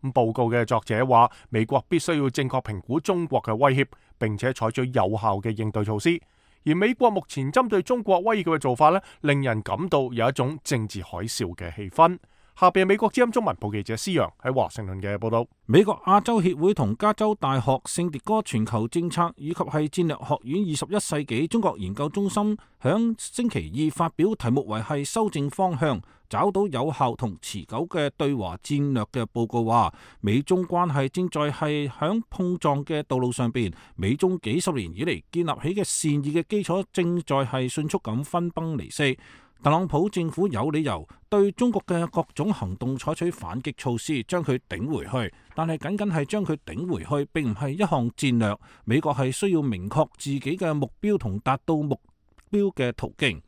Speaker 1: 咁報告嘅作者話，美國必須要正確評估中國嘅威脅，並且採取有效嘅應對措施。而美國目前針對中國威脅嘅做法令人感到有一種政治海嘯嘅氣氛。下邊美國之音中文部記者施陽喺華盛頓嘅報道。
Speaker 5: 美國亞洲協會同加州大學聖迭戈全球政策以及係戰略學院21世紀中國研究中心響星期二發表題目為係修正方向，找到有效同持久嘅對華戰略嘅報告話，美中關係正在係響碰撞嘅道路上邊，美中幾十年以嚟建立起嘅善意嘅基礎正在係迅速咁分崩離析。特朗普政府有理由對中國嘅各種行動採取反擊措施，將佢頂回去。但係僅僅係將佢頂回去，並唔係一項戰略。美國係需要明確自己嘅目標同達到目標嘅途徑。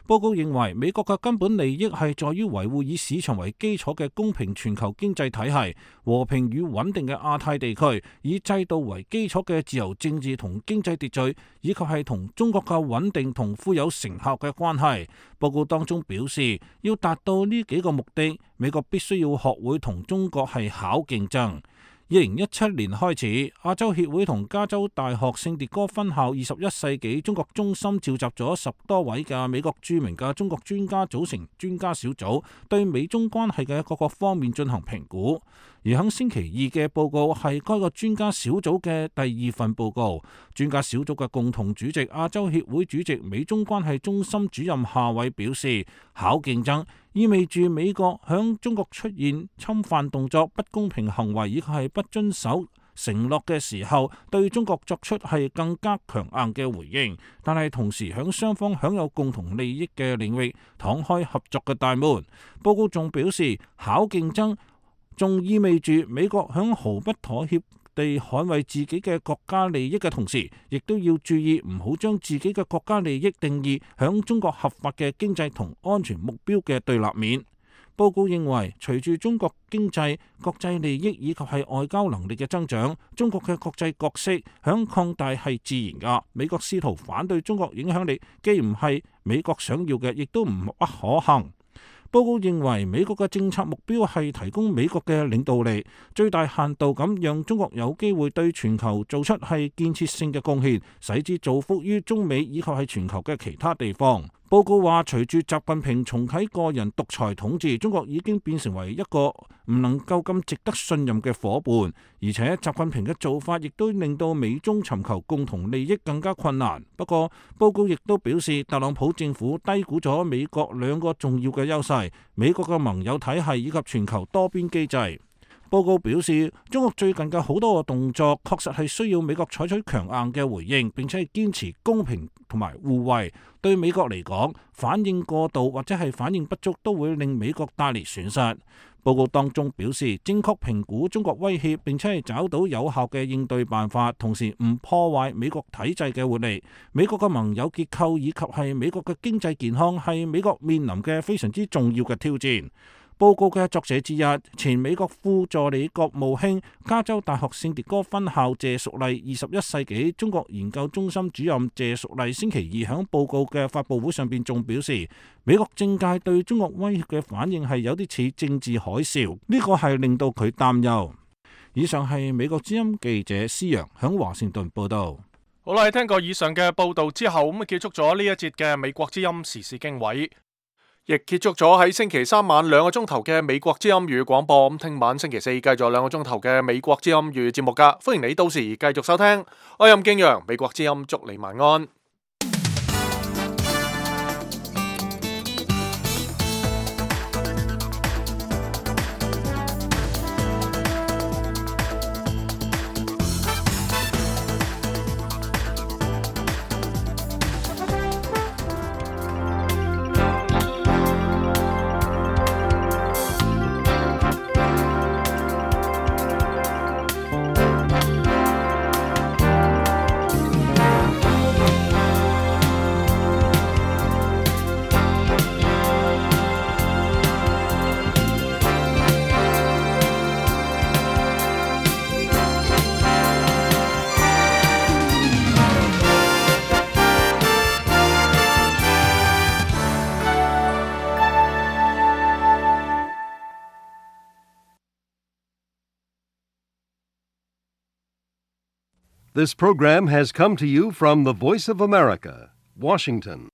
Speaker 5: 報告認為，美國嘅根本利益係在於維護以市場為基礎嘅公平全球經濟體系、和平與穩定嘅亞太地區，以制度為基礎嘅自由政治同經濟秩序，以及係同中國嘅穩定同富有成效嘅關係。報告當中表示，要達到呢幾個目的，美國必須要學會同中國係巧競爭。2017年開始，亞洲協會同加州大學聖迭戈分校21世紀中國中心召集咗10多位嘅美國著名嘅中國專家組成專家小組，對美中關係嘅各個方面進行評估。而喺星期二嘅報告係該個專家小組嘅第2份報告。專家小組嘅共同主席亞洲協會主席美中關係中心主任夏偉表示，巧競爭意味住美國響中國出現侵犯動作、不公平行為以及係不遵守承諾嘅時候，對中國作出係更加強硬嘅回應，但係同時響雙方享有共同利益嘅領域敞開合作嘅大門。報告仲表示，巧競爭仲意味住美國響毫不妥協地捍衛自己嘅國家利益嘅同時，亦都要注意唔好將自己嘅國家利益定義響中國合法嘅經濟同安全目標嘅對立面。報告認為，隨住中國經濟、國際利益以及係外交能力嘅增長，中國嘅國際角色響擴大係自然㗎。美國試圖反對中國影響力，既唔係美國想要嘅，亦都唔不可行。報告認為，美國嘅政策目標係提供美國嘅領導力，最大限度咁讓中國有機會對全球做出係建設性嘅貢獻，使之造福於中美以及係全球嘅其他地方。報告話，隨住習近平重啟個人獨裁統治，中國已經變成為一個唔能夠咁值得信任嘅夥伴，而且習近平嘅做法亦都令到美中尋求共同利益更加困難。不過，報告亦都表示，特朗普政府低估咗美國2個重要嘅優勢：美國嘅盟友體系以及全球多邊機制。報告表示，中國最近嘅好多個動作確實係需要美國採取強硬嘅回應，並且係堅持公平同埋互惠。對美國嚟講，反應過度或者係反應不足都會令美國帶嚟損失。報告當中表示，正確評估中國威脅，並且係找到有效嘅應對辦法，同時唔破壞美國體制嘅活力。美國嘅盟友結構以及係美國嘅經濟健康係美國面臨嘅非常之重要嘅挑戰。報告嘅作者之一，前美國副助理國務卿、加州大學聖迭戈分校謝淑麗21世紀中國研究中心主任謝淑麗星期二喺報告嘅發佈會上邊仲表示，美國政界對中國威脅嘅反應係有啲似政治海嘯，呢個係令到佢擔憂。以上係美國之音記者施陽喺華盛頓報道。
Speaker 1: 好啦，聽過以上嘅報道之後，咁結束咗呢一節嘅美國之音時事經緯。亦結束咗喺星期3晚2個鐘頭嘅美國之音粵語廣播。咁聽晚星期4繼續2個鐘頭嘅美國之音粵語節目噶，歡迎你到時繼續收聽。我係任敬陽，美國之音祝你晚安。
Speaker 9: This program has come to you from the Voice of America, Washington.